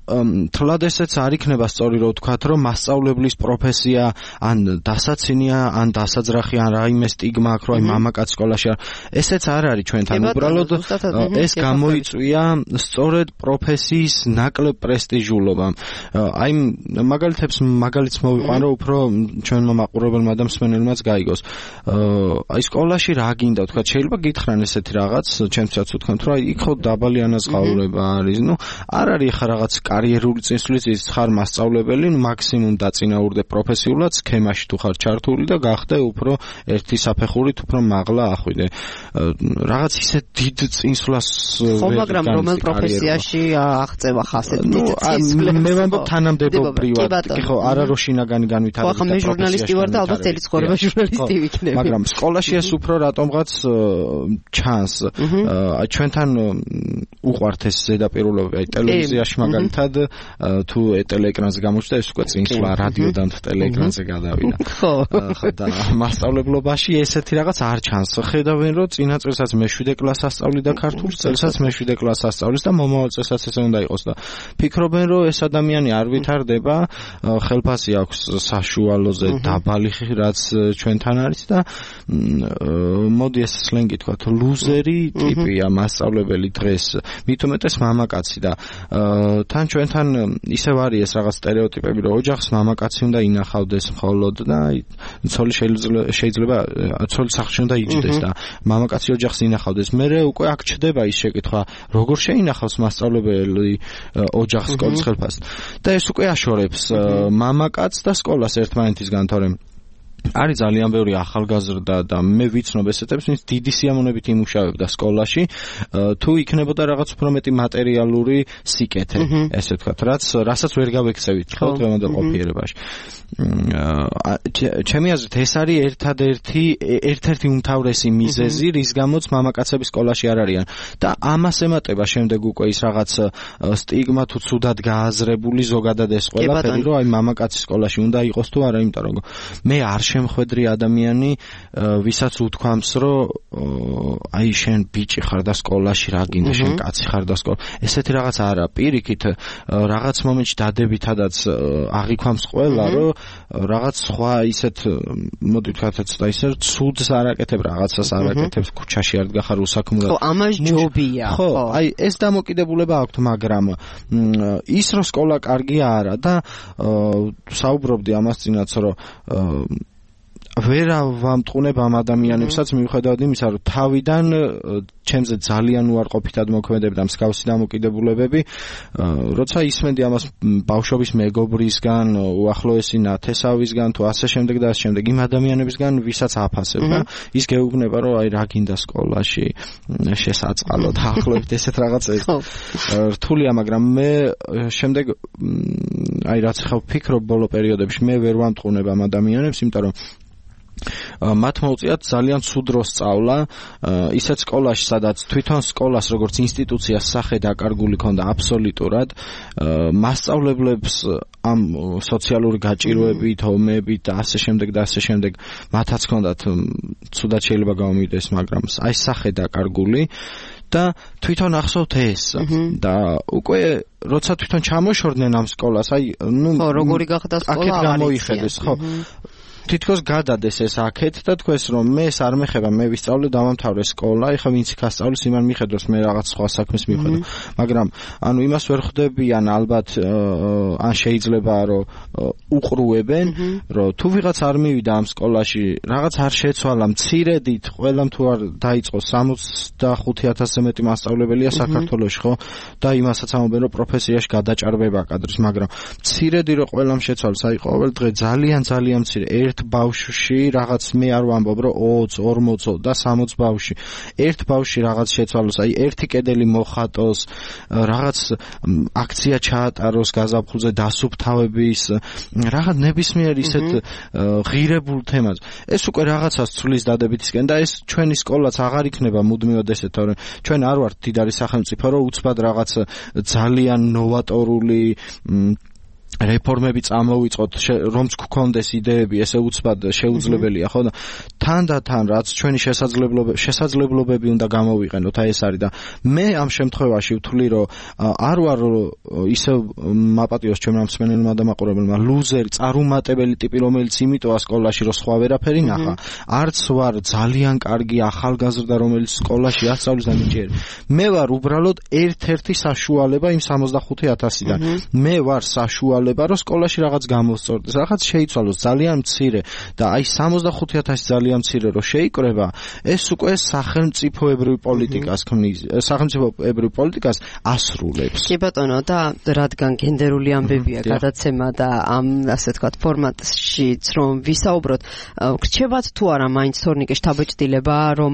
თლად ესეც არ იქნება სწორი რომ ვთქვათ, რომ მასწავლებლის პროფესია ან დასაცინია, ან დასაძრახი, ან რაიმე სტიგმა აქვს, რომ მამაკაც სკოლაში ესეც არ არის ჩვენთან. უბრალოდ ეს გამოიწვია სწორედ პროფესიის ნაკლებ პრესტიჟულობამ. აი მაგალითს მოვიყვანო, უფრო ჩვენმა მაყურებელმა და მსმენელმაც გაიგოს. აი სკოლაში რა გინდა ვთქვათ, შეიძლება გითხრან ესეთი რაღაც, ჩემთვისაც ვთქვათ, რომ იქ ხო დაბალი ანაზღაურება არის. არ არის ხა რაღაც კარიერული წინსვლის ხარ მასწავლებელი, მაქსიმუმ დაწინაურდე პროფესიულად, სქემაში თუ ხარ ჩართული და გახდე უფრო ერთი საფეხურით უფრო მაღლა ახვიდე. რაღაც ისე დიდ წინსვლას ხო, მაგრამ რომელ პროფესიაში აღწევა ხასეთ დიდ წინსვლას? მე ვამბობ თანამდებობრივად, ხო, არა რომ შინაგანი განვითარება. ხო, მე ჟურნალისტი ვარ და ალბათ წელი ცხოვრება ჟურნალისტი ვიქნები. მაგრამ სკოლაში ეს უფრო რატომღაც ჩანს. ჩვენთან უყვართ ეს ზედაპირულობა, აი ტელევიზიაში მაგალითად თუ ტელეეკრანზე გამოჩნდა ეს უკვე წინსვლა რადიოდან ტელეეკრანზე გადავიდა. ხო, და მასწავლებლობაში ესეთი რაღაც არ ჩანს. ხედავენ რომ წინა წელსაც მე-7 კლასს ასწავლიდა ქართულ წელსაც მე-7 კლასს ასწავლის და მომავალ წელსაც ესე უნდა იყოს და ფიქრობენ რომ ეს ადამიანი არ ვითარდება, ხელფასი აქვს საშუალოზე დაბალი რაც ჩვენთან არის და მოდი ეს სლენგი თქვა ლუზერი ტიპია მასწავლებელი დღეს, მით უმეტეს მამაკაცი და თან ჩვენთან ისევ არის ეს რაღაც სტერეოტიპები რომ ოჯახს მამაკაცი უნდა ინახავდეს მხოლოდ და ცოლი შეიძლება ცოლი სახლში უნდა იჯდეს და მამაკაცი ოჯახს ინახავდეს. მერე უკვე აქ ჩდება ის შეკითხვა, როგორ შეინახავს მასწავლებელი ოჯახს სკოლის ხელფასს და ეს უკვე აშორებს მამაკაცს და სკოლას ერთმანეთისგან, თორემ არის ძალიან ბევრი ახალგაზრდა და მე ვიცნობ ესეთებს, ვინც დიდი სიამოვნებით იმუშავებდა სკოლაში, თუ იქნებოდა რაღაც უფრო მეტი მატერიალური სიკეთე, ესე ვთქვათ, რასაც ვერ გავექცევით ხო დღევანდელ ყოფიერებაში. ჩემი აზრით ეს არის ერთ-ერთი უმთავრესი მიზეზი, რის გამოც მამაკაცები სკოლაში არ არიან და ამას ემატება შემდეგ უკვე ის რაღაც სტიგმა თუ ცუდად გააზრებული ზოგადად ეს ყველაფერი, რომ აი მამაკაცი სკოლაში უნდა იყოს თუ არა, იმიტომ რომ მე არ შემხვედრი ადამიანი, ვისაც უთქვამს, რომ აი შენ ბიჭი ხარ და სკოლაში რა გინდა, შენ კაცი ხარ და სკოლა. ესეთი რაღაც არა, პირიქით რაღაც მომენტში დადებითადაც აღიქვამს ყველა, რომ რაღაც სხვა ისეთ მოდი ვთქვათ ცოტა ისე ცუდს არაკეთებ, რაღაცას არაკეთებს, ქუჩაში არ დგახარ უსაქმურად. ხო, ამას ჯობია. ხო, აი ეს დამოკიდებულება აქვს, მაგრამ ის რომ სკოლა კარგია არა და საუბრობდი ამას წინაც, რომ ვერ ვამტყუნებ ამ ადამიანებსაც მიუხედავად იმისა, რომ თავიდან ჩემზე ძალიან უარყოფითად მოქმედებდა მსგავსი დამოკიდებულებები, როცა ისმენდი ამას ბავშვობის მეგობრისგან, უახლოესი ნათესავისგან თუ ასე შემდეგ და ასე შემდეგ, იმ ადამიანებისგან, ვისაც აფასებ და ის გეუბნება, რომ აი რა გინდა სკოლაში შესაწყალო და ახლობთ ესეთ რაღაცებს. რთულია, მაგრამ მე შემდეგ აი რაც ხავ ფიქრობ ბოლო პერიოდებში, მე ვერ ვამტყუნებ ამ ადამიანებს, იმიტომ რომ მათ მოუწიათ ძალიან ცუდ დროს სწავლა, ისეთ სკოლაში, სადაც თვითონ სკოლას როგორც ინსტიტუციას სახე დაკარგული ქონდა აბსოლუტურად, მასწავლებლებს ამ სოციალური გაჭირვებით, ომებით და ასე შემდეგ, მათაც ქონდათ ცუდად შეიძლება გამომიდეს, მაგრამ აი სახე დაკარგული და თვითონ ახსოვთ ეს და უკვე როცა თვითონ ჩამოშორდნენ ამ სკოლას, აი ხო, როგორი გახდა სკოლა, აქეთ გამოიხედეს, ხო. თითქოს გადადეს ეს აქეთ და თქვენს რომ მე ეს არ მეხება, მე ვისწავლე დავამთავრე სკოლა, ეხლა ვინც იქ ასწავლის იმან მიხედოს, მე რაღაც სხვა საქმეს მივხედავ. მაგრამ ანუ იმას ვერ ხვდებიან ალბათ, ან შეიძლება რომ უყრუებენ, რომ თუ ვიღაც არ მივიდა ამ სკოლაში, რაღაც არ შეცვალა, მცირედით ყველამ თუ არ დაიწყო 65,000-ზე მეტი მასწავლებელია საქართველოში, ხო? და იმასაც ამობენ რომ პროფესიაში გადაჭარბება კადრის, მაგრამ მცირედი რომ ყველამ შეცვალოს, აი ყოველ დღე ძალიან მცირე ერთ ბავშვში რაღაც მე არ ვამბობ რომ 20, 40 და 60 ბავშვი ერთ ბავშვში რაღაც შეცვალოს, აი ერთი კედელი მოხატოს, რაღაც აქცია ჩაატაროს გაზაფხულზე დასუფთავების, რაღაც ნებისმიერ ისეთ ღირებულ თემას. ეს უკვე რაღაცას ცვლის დადებითისკენ და ეს ჩვენი სკოლაც აღარ იქნება მუდმივად ესეთ, თორემ ჩვენ არ ვართ მდიდარი სახელმწიფო, რომ უცბად რაღაც ძალიან ნოვატორული რეფორმები წამოვიწყოთ, რომც გქონდეს იდეები, ესე უცბად შეუძლებელია, ხო და თანდათან რაც ჩვენი შესაძლებლობები უნდა გამოვიყენოთ, აი ეს არის და მე ამ შემთხვევაში ვთვლი, რომ არ ვარ ისე მაპატიოს ჩემმა მსმენელმა და მაყურებელმა ლუზერი, წარუმატებელი ტიპი, რომელიც იმიტოა სკოლაში, რომ სხვა ვერაფერი ნახა. არც ვარ ძალიან კარგი ახალგაზრდა, რომელიც სკოლაში ასწავლის და მიჭიერი. მე ვარ უბრალოდ ერთ-ერთი საშუალება იმ 65,000-დან. მე ვარ საშუალება რომ სკოლაში რაღაც გამოსწორდეს, რაღაც შეიცვალოს ძალიან მცირე და აი 65,000 ძალიან მცირე რომ შეიკრება, ეს უკვე სახელმწიფოებრივ პოლიტიკას ქმნის, სახელმწიფოებრივ პოლიტიკას ასრულებს. კი ბატონო, და რადგან გენდერული ამბებია გადაცემა და ამ ასე ვთქვათ ფორმატშიც რომ ვისაუბროთ, გრჩებათ თუ არა მაინც თორნიკე შთაბეჭდილება, რომ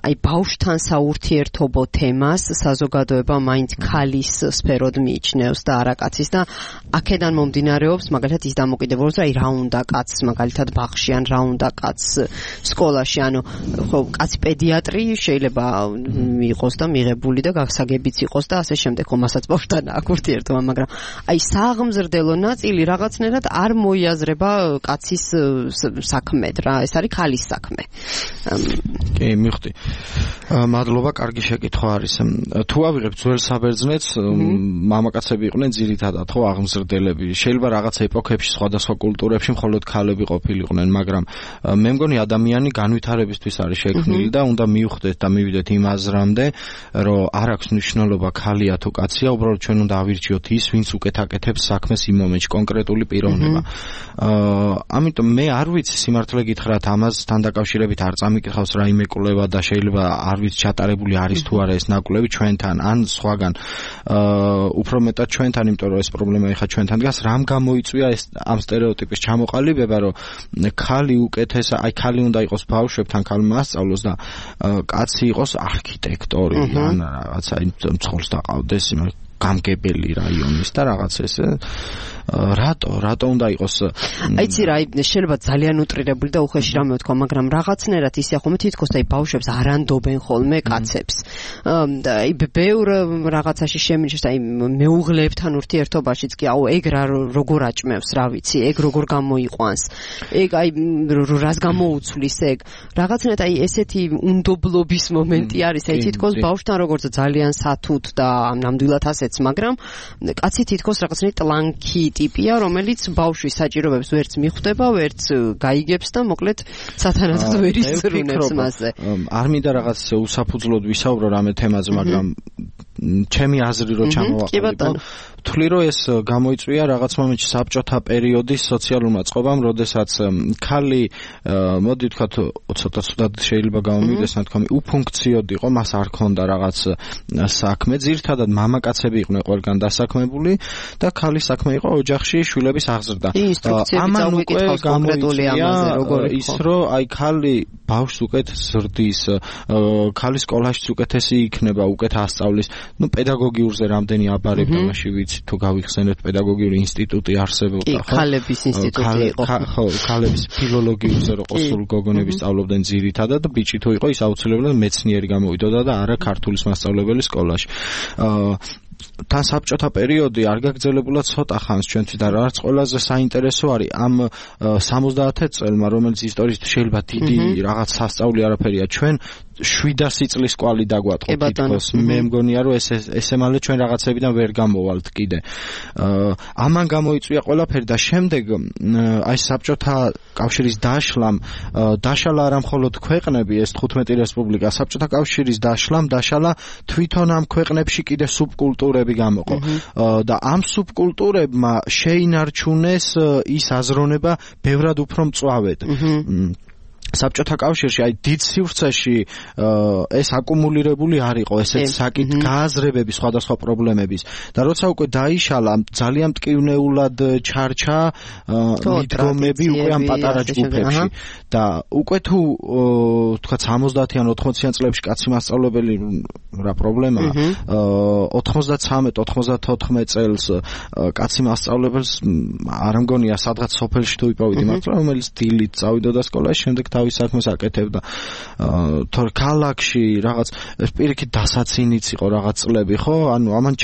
აი ბავშვთან საურთიერთობო თემას საზოგადოება მაინც ქალის სფეროდ მიიჩნევს და არა კაცის და აქედან მომდინარეობს მაგალითად ის დამოკიდებულება, აი რა უნდა კაცს მაგალითად ბაღში ან რა უნდა კაცს სკოლაში, ანუ ხო კაცი პედიატრი შეიძლება იყოს და მიღებული და გასაგებიც იყოს და ასე შემდეგ, ხო მასაც ბავშვთან აქვს ურთიერთობა, მაგრამ აი სააღმზრდელო ნაწილი რაღაცნაირად არ მოიაზრება კაცის საქმედ რა, ეს არის ქალის საქმე. კი, მივხვდი. მადლობა, კარგი შეკითხვა არის. თუ ავიღებ ძველ საბერძნეთს, მამაკაცები იყვნენ ძირითადად, ხო, აღმზრდელები. შეიძლება რაღაც ეპოქებში, სხვადასხვა კულტურებში მხოლოდ ქალები ყოფილიყვნენ, მაგრამ მე მგონი ადამიანი განვითარებისთვის არის შექმნილი და უნდა მივხვდეთ და მივიდეთ იმ აზრამდე, რომ არ აქვს მნიშვნელობა ქალია თუ კაცია, უბრალოდ ჩვენ უნდა ავირჩიოთ ის, ვინც უკეთ აკეთებს საქმეს იმ მომენტში, კონკრეტული პიროვნება. ამიტომ მე არ ვიცი სიმართლე გითხრათ, ამასთან დაკავშირებით არ წამიკითხავს რაიმე კვლევა და შეიძლება არ ვიცი ჩატარებული არის თუ არა ეს ნაკვლევი ჩვენთან ან სხვაგან. უფრო მეტად ჩვენთან, იმიტომ რომ ეს პრობლემა ეხა ჩვენთან დგას, რამ გამოიწვია ეს ამ სტერეოტიპის ჩამოყალიბება, რომ ქალი უკეთესა, აი ქალი უნდა იყოს ბავშვებთან, ქალმა ასწავლოს და კაცი იყოს არქიტექტორი, ან რაღაცა მძღოლს დაყავდეს, გამგებელი რაიონის და რაღაც ესე. რატო უნდა იყოს? აიცი რა, შეიძლება ძალიან უტრირებული და უხეში რამე ვთქვა, მაგრამ რაღაცნაირად ისე ხომ თითქოს აი ბავშვებს არ ანდობენ ხოლმე კაცებს. და აი ბევრ რაღაცაში შემინიშს, აი მეუღლეებთან ურთიერთობაშიც კი აუ ეგ როგორ აჭმევს, რა ვიცი, ეგ როგორ გამოიყვანს. ეგ აი რას გამოუცვლის ეგ. რაღაცნაირად აი ესეთი უნდობლობის მომენტი არის, აი თითქოს ბავშვთან როგორც ძალიან სათუთ და ნამდვილად ასეც, მაგრამ კაცი თითქოს რაღაცნაირად ტლანქი ტიპია, რომელიც ბავშვის საჭიროებებს ვერც მიხვდება, ვერც გაიგებს და მოკლედ სათანადოდ ვერ ისწრუნებს მასზე. არ მინდა რაღაც უსაფუძვლოდ ვისაუბრო რამე თემაზე, მაგრამ ჩემი აზრი რო ჩამოვაყალიბო, ვთვლი რომ ეს გამოიწვია რაღაც მომენტში საბჭოთა პერიოდის სოციალურმა წყობამ, როდესაც ქალი, მოდი ვთქვათ, ცოტა ცუდად შეიძლება გამომივიდეს ნათქვამი, უფუნქციოდ იყო, მას არ ჰქონდა რაღაც საქმე, ძირითადად მამაკაცები იყვნენ ყველგან დასაქმებული და ქალის საქმე იყო ოჯახში შვილების აღზრდა. ამან უკვე გამოიწვია ის, რომ აი ქალი ბავშვს უკეთ ზრდის, ქალის სკოლაშიც უკეთესი იქნება, უკეთ ასწავლის. ნუ პედაგოგიურზე რამდენი აბარებ თამაში ვიცი, თუ გავიხსენებთ პედაგოგიური ინსტიტუტი არსებობდა, ხო? ქალების ინსტიტუტი იყო. ხო, ქალების ფილოლოგიურზე რო ყოსულ გოგონები სწავლობდნენ ძირითადად, ბიჭი თუ იყო, ის აუცილებლად მეცნიერი გამოვიდოდა და არა ქართულის მასწავლებელი სკოლაში. თან საბჭოთა პერიოდი არ გაგრძელებულა ცოტა ხანს ჩვენთვის და რაც ყველაზე საინტერესო არის ამ 70 წელმა, რომელიც ისტორიისთვის შეიძლება დიდი რაღაც სასწაული არაფერია, ჩვენ 700 წლის კვალი დაგვატყო თითქოს. მე მგონია რომ ესე მალე ჩვენ რაღაცებიდან ვერ გამოვალთ კიდე. ამან გამოიწვია ყველაფერი და შემდეგ აი საბჭოთა კავშირის დაშლამ დაშალა არა მხოლოდ ქვეყნები, ეს 15 რესპუბლიკა, საბჭოთა კავშირის დაშლამ დაშალა თვითონ ამ ქვეყნებში კიდე სუბკულტურები გამოყო. და ამ სუბკულტურებმა შეინარჩუნეს ის აზროვნება ბევრად უფრო მწვავედ. საბჭოთა კავშირში აი დიდ სივრცეში ეს აკუმულირებული არ იყო ესეთ საკით გააზრებები სხვადასხვა პრობლემების და როცა უკვე დაიშალა ძალიან მტკივნეულად ჩარჩა მიდგომები უკვე ამ პატარა ჯგუფებში და უკვე თუ თქვა 70-იან 80-იან წლებში კაცი მასწავლებელი რა პრობლემაა 93-94 წელს კაცი მასწავლებელს არ მგონია სადღაც სოფელში თუ იპოვიდი მართლა რომელიც დილით წავიდოდა სკოლაში შემდეგ თავის საქმეს აკეთებდა. თორე ქალაქში რაღაც პირიქით დასაცინიც იყო რაღაც წლები, ხო? ანუ ამან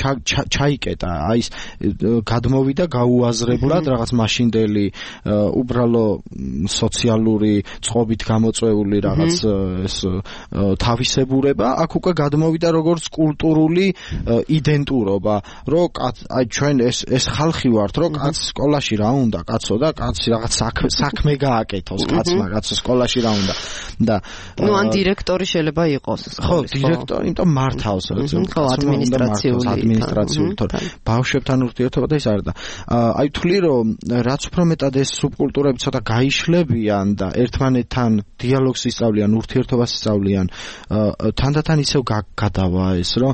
ჩაიკეტა, აი ეს გადმოვიდა გაუაზრებლად რაღაც მაშინდელი უბრალო სოციალური წყობით გამოწვეული რაღაც ეს თავისებურება, აქ უკვე გადმოვიდა როგორც კულტურული იდენტურობა, რომ აი ჩვენ ეს ხალხი ვართ, რომ კაც სკოლაში რა უნდა, კაცო და კაცი რაღაც საქმე გააკეთოს, კაცმა კაცო სკოლაში რა უნდა და ნუ ან დირექტორი შეიძლება იყოს ხო დირექტორი, იმიტომ მართავს ადმინისტრაციული თორე ბავშვებთან ურთიერთობა და ის არ და აი თვლი რომ რაც უფრო მეტად ეს სუბკულტურები ცოტა გაიშლებიან და ერთმანეთთან დიალოგს ისწავლიან, ურთიერთობას ისწავლიან, თანდათან ისევ გადავა ეს რომ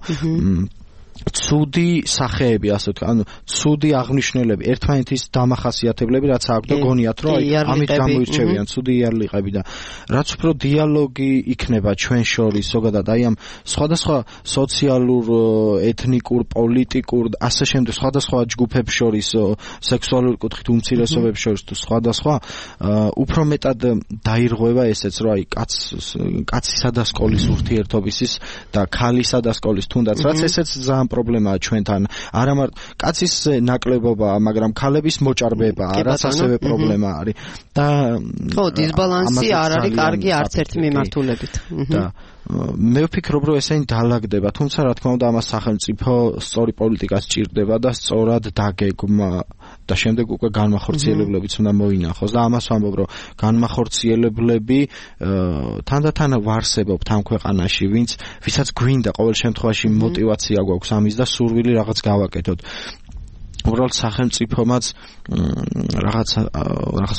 ცუდი სახეები, ასე ვთქვათ, ანუ ცუდი აღნიშნულები, ერთმანეთის დამახასიათებლები რაც აქვს და გონიათ რომ აი ამით გამოირჩევიან ცუდი იარლიყები და რაც უფრო დიალოგი იქნება ჩვენ შორის, ზოგადად აი ამ სხვადასხვა სოციალურ, ეთნიკურ, პოლიტიკურ, ასე შემდეგ სხვადასხვა ჯგუფებს შორის, სექსუალური კუთხით უმცირესობებს შორის თუ სხვადასხვა, უფრო მეტად დაირღვევა ესეც რომ აი კაცისა და სკოლის ურთიერთობისის და ქალისა და სკოლის თუნდაც რაც ესეც პრობლემაა ჩვენთან. არა მარტო კაცის ნაკლებობაა, მაგრამ ქალების მოჭარბებაა, რაც ასევე პრობლემა არის. და ხო, დისბალანსი არ არის კარგი არც ერთ მიმართულებით. და მე ვფიქრობ, რომ ესენი დაალაგდება, თუმცა რა თქმა უნდა ამას სახელმწიფო სწორი პოლიტიკა სჭირდება და სწორად დაგეგმა და შემდეგ უკვე განმახორციელებლებიც უნდა მოინახოს და ამას ვამბობ, რომ განმახორციელებლები თანდათან ვარსებობთ ამ ქვეყანაში, ვისაც გვინდა ყოველ შემთხვევაში мотиваცია გვაქვს ამის და სურვილი რაღაც გავაკეთოთ. უბრალოდ სახელმწიფომაც რაღაც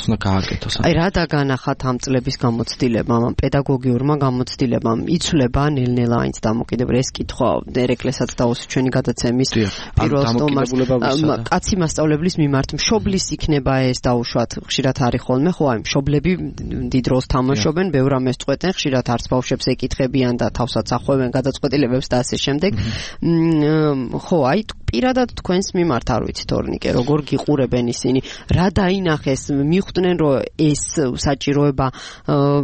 უნდა გააკეთოს. აი რა დაგანახათ ამ წლების გამოცდილებამ, ამ პედაგოგიურმა გამოცდილებამ, იცვლება ნელ-ნელა აინც დამოკიდებულება ეს კითხვა ერეკლესაც დაუსვით ჩვენი გადაცემის პირველ სტომარს. კაცი მასწავლებლის მიმართ მშობლის იქნება ეს დაუშვათ, ხშირად არის ხოლმე, ხო აი მშობლები დიდ როლს თამაშობენ, ბევრ ამას წყვეტენ, ხშირად არც ბავშვებს ეკითხებიან და თავსაც ახვევენ გადაწყვეტილებებს და ასე შემდეგ. ხო აი პირადად თქვენს მიმართ არ ვიცით ორნიკე, როგორ გიყურებენ ისინი, რა დაინახეს, მიხვდნენ რომ ეს საჭიროება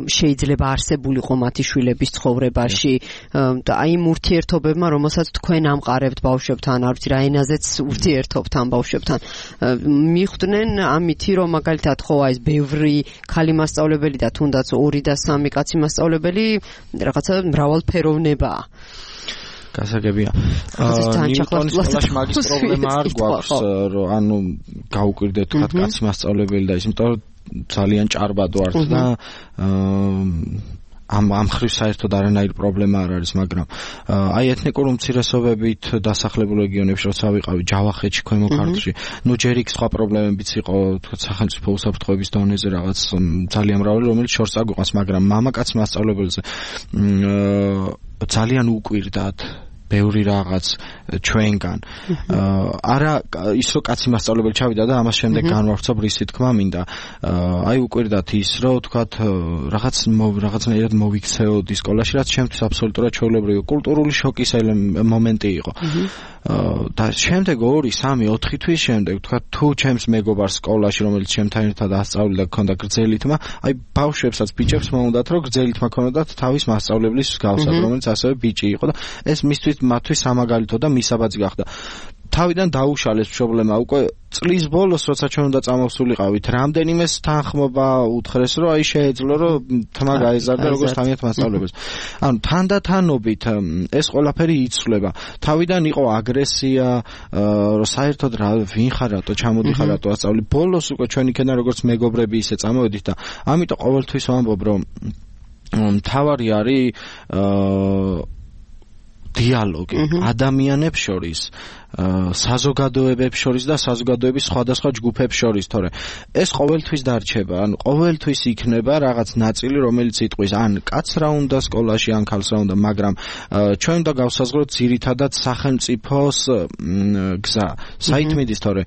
შეიძლება არსებულიყო მათი შვილების ცხოვრებაში და აი იმ ურთიერთობებმა, რომელსაც თქვენ ამყარებთ ბავშვებთან, არ ვიცი რა ენაზეც ურთიერთობთ ამ ბავშვებთან, მიხვდნენ ამითი რომ მაგალითად ხო აი ეს ბევრი ქალი მასწავლებელი და თუნდაც 2 და 3 კაცი მასწავლებელი რაღაცა მრავალფეროვნებაა. გასაგებია. ნიუტონის მაგის პრობლემა არ გვაქვს, რომ ანუ გაუკვირდეთ თქვათ კაცი მასწავლებელი და ის, იმიტომ რომ ძალიან ჭარბად ვართ და ამ ხრივ საერთოდ არანაირი პრობლემა არ არის, მაგრამ აი ეთნიკური უმცირესობებით დასახლებულ რეგიონებში როცა ვიყავი ჯავახეთში, ქვემო ქართლში, ნუ ჯერ იქ სხვა პრობლემებიც იყო, თქვათ სახელმწიფო უსაფრთხოების დონეზე რაღაც ძალიან მრავალი, რომელიც შორს აგვიყვანს, მაგრამ მამაკაც მასწავლებელზე ძალიან უკვირდათ ბევრი რაღაც ჩვენგან. არა ის რომ კაცი მასწავლებელი ჩავიდა და ამას შემდეგ განვავრცობ რისი თქმა მინდა. აი უკვირდათ ის რომ თქვათ რაღაცნაირად მოვიქცეოდი სკოლაში, რაც ჩემთვის აბსოლუტურად ჩვეულებრივი კულტურული შოკის მომენტი იყო. და შემდეგ 2, 3, 4 თვის შემდეგ თქვათ თუ ჩემს მეგობარს სკოლაში, რომელიც ჩემთან ერთად ასწავლიდა, ქონდა გრძელი თმა, აი ბავშვებსაც ბიჭებს მოუნდათ რომ გრძელი თმა ქონოდათ თავის მასწავლებლის მსგავსად, რომელიც ასევე ბიჭი იყო და ეს მისთვის სამაგალითო და მისაბაძი გახდა. თავიდან დაუშალეს პრობლემა უკვე წლის ბოლოს, როცა ჩვენ უნდა წამოვსულიყავით, რამდენიმეს თანხმობა უთხრეს, რომ აი შეეძლო რომ თმა გაეზარდა როგორც თავიანთ მასწავლებელს. ანუ თანდათანობით ეს ყველაფერი იცვლება. თავიდან იყო აგრესია, რომ საერთოდ ვინ ხარ რატო ჩამოდიხარ რატო ასწავლი. ბოლოს უკვე ჩვენ იქიდან როგორც მეგობრები ისე წამოვედით და ამიტომ ყოველთვის ვამბობ, რომ მთავარი არის დიალოგი ადამიანებს შორის, საზოგადოებებს შორის და საზოგადოების სხვადასხვა ჯგუფებს შორის, თორე ეს ყოველთვის დარჩება, ანუ ყოველთვის იქნება რაღაც ნაწილი, რომელიც იტყვის ან კაცს რა უნდა სკოლაში, ან ქალს რა უნდა, მაგრამ ჩვენ უნდა გავსაზღვროთ ძირითადად სახელმწიფოს გზა. საით მიდის, თორე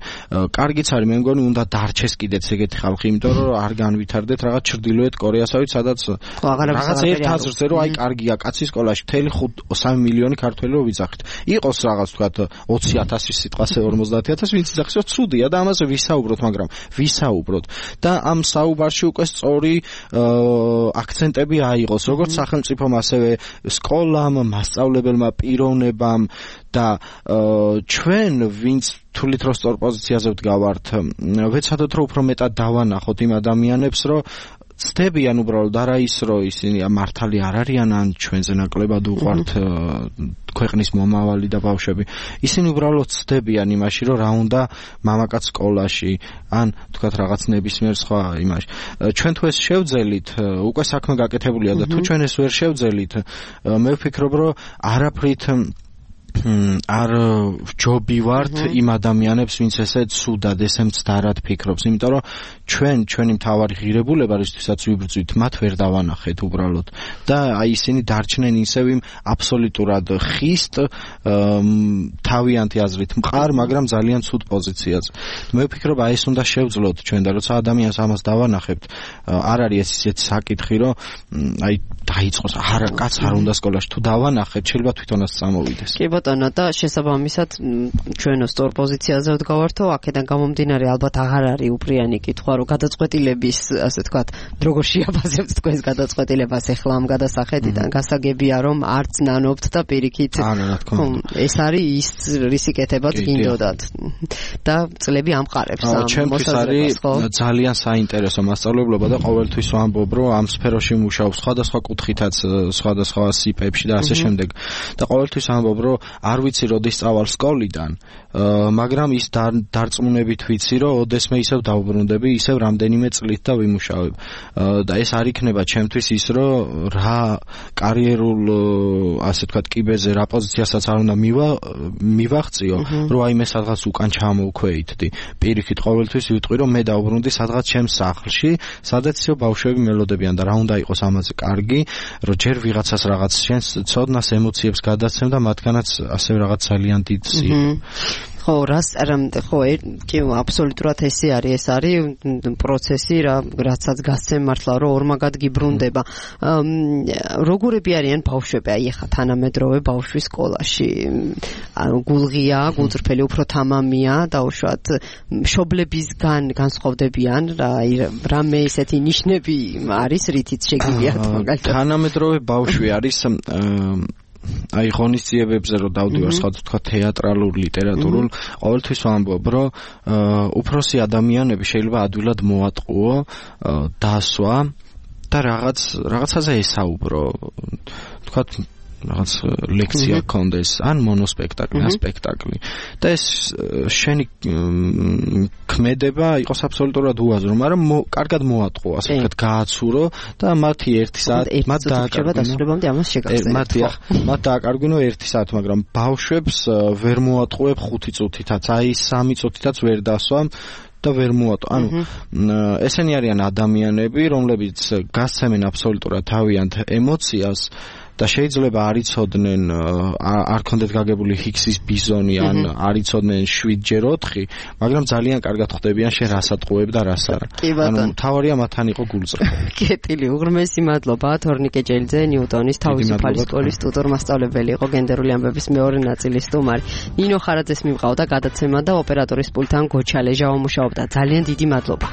კარგიც არის, მე მგონი უნდა დარჩეს კიდეც ეგეთი ხალხი, იმიტომ რომ არ განვითარდეთ რაღაც ჩრდილოეთ კორეასავით, სადაც რაღაც ერთ აზრზე რომ აი კარგია კაცი სკოლაში, მთელი 3 მილიონი მრავალი ქართველი რო ვიძახით. იყოს რაღაც ვთქვათ 20,000 სიტყვაზე 50,000 ვინც იძახის რომ ცუდია და ამაზე ვისაუბროთ, მაგრამ ვისაუბროთ და ამ საუბარში უკვე სწორი აქცენტები აიღოს როგორც სახელმწიფომ ასევე სკოლამ, მასწავლებელმა, პიროვნებამ და ჩვენ ვინც თulit რო სწორ პოზიციაზე ვდგავართ, ვეცადოთ რომ უფრო მეტად დავანახოთ იმ ადამიანებს, რომ ცდებიან უბრალოდ არა ის რომ ისინი მართალი არ არიან ან ჩვენზე ნაკლებად უყვართ ქვეყნის მომავალი და ბავშვები. ისინი უბრალოდ ცდებიან იმაში რომ რა უნდა მამაკაც სკოლაში ან თქვათ რაღაც ნებისმიერ სხვა იმაში. ჩვენ თუ ეს შევძელით, უკვე საქმე გაკეთებულია და თუ ჩვენ ეს ვერ შევძელით, მე ვფიქრობ რომ არაფრით არ ვჯობივართ იმ ადამიანებს, ვინც ესე ცუდად, ესე მცდარად ფიქრობს, იმიტომ რომ ჩვენი მთავარი ღირებულება, რისთვისაც ვიბრძვით, მათ ვერ დავანახეთ უბრალოდ და აი ისინი დარჩნენ ისევ იმ აბსოლუტურად ხისტ თავიანთი აზრით მყარ, მაგრამ ძალიან ცუდ პოზიციაზე. მე ვფიქრობ, აი ეს უნდა შევძლოთ ჩვენ და როცა ადამიანს ამას დავანახებთ, არ არის ისეთი საკითხი, რომ აი დაიწყოს, არა, კაც არ უნდა სკოლაში, თუ დავანახეთ, შეიძლება თვითონაც წამოვიდეს. კი ბატონო, და შესაბამისად ჩვენო სწორ პოზიციაზე ვდგავართო, აქედან გამომდინარე ალბათ აღარ არის უპრიანი კითხვა, რომ გადაწყვეტილების, ასე ვთქვათ, როგორ შეაფასებთ თქვენს გადაწყვეტილებას ახლა ამ გადასახედიდან, გასაგებია რომ არც ნანობთ და პირიქით ეს არის ის რისი კეთებაც გინდოდათ და წლები ამყარებს ამ მოსაზრებას, ხო? ძალიან საინტერესო მასწავლებლობა და ყოველთვის ვამბობ, რომ ამ სფეროში მუშაობს სხვადასხვა კუთხითაც, სხვადასხვა სიპებში და ასე შემდეგ. და ყოველთვის ამბობ, რომ არ ვიცი როდის წავალ სკოლიდან, მაგრამ ის დარწმუნებით ვიცი, რომ ოდესმე ისევ დავბრუნდები, ისევ რამდენიმე წლით და ვიმუშავებ. და ეს არ იქნება ჩემთვის ის, რომ რა კარიერულ, ასე ვთქვათ, კიბეზე რა პოზიციასაც არ უნდა მივაღწიო, რომ აი მე სადღაც უკან ჩამოვქვეითდი. პირიქით ყოველთვის ვიტყვი, რომ მე დავბრუნდი სადღაც ჩემს სახლში, სადაც ისევ ბავშვები მელოდებიან და რა უნდა იყოს ამაზე კარგი, რომ ჯერ ვიღაცას რაღაც შენს ცოდნას, ემოციებს გადაცემ და მათგანაც ასევე რაღაც ძალიან დიდ სიყვარული. ხო, ხო, კი, აბსოლუტურად ეს არის პროცესი, რაცაც გასცემ მართლა, რომ ორმაგად გიბრუნდება. როგორები არიან ბავშვები, აი ახლა თანამედროვე ბავშვი სკოლაში? გულღია, გულწრფელი, უფრო თამამია, დაუშვათ, მშობლებისგან განსხვავდებიან, რამე ესეთი ნიშნები არის, რითიც შეგიძლიათ მაგალითად? თანამედროვე ბავშვი არის აი ღონისძიებებზე რომ დავდივარ სხვადასხვა თეატრალურ, ლიტერატურულ, ყოველთვის ვამბობ, რომ უფროსი ადამიანები შეიძლება ადვილად მოატყუო, დასვა და რაღაცაზე ესაუბრო. თქვათ რაღაც ლექცია კონდეს, ან მონოსპექტაკლი, ან სპექტაკლი. და ეს შენი ქმედება იყოს აბსოლუტურად უაზრო, მაგრამ კარგად მოატყო, ასე ვთქვათ, გააცურო და მათი 1 საათი მათ დასრულებამდე ამას შეგახსენებთ. მათ დააკარგვინო 1 საათი, მაგრამ ბავშვებს ვერ მოატყუებ 5 წუთითაც, აი 3 წუთითაც ვერ დასვამ და ვერ მოატყო. ანუ ესენი არიან ადამიანები, რომლებიც გასცემენ აბსოლუტურად თავიანთ ემოციას და შეიძლება არ იცოდნენ, არ ქონდეთ გაგებული ჰიქსის ბიზონი, ან არ იცოდნენ 7x4, მაგრამ ძალიან კარგად ხვდებიან შენ რას ატყუებ და რას არა. ანუ თავარია მათთან იყო გულწრფელი. კეთილი, უღრმესი მადლობა თორნიკე ჯელიძე, ნიუტონის თავისუფალი სკოლის ტუტორ მასწავლებელი იყო, გენდერული ამბების მეორე ნაწილის სტუმარი. ნინო ხარაძეს მივყავდა გადაცემა და ოპერატორის პულტთან გოჩა ლეჟავა მუშაობდა. ძალიან დიდი მადლობა.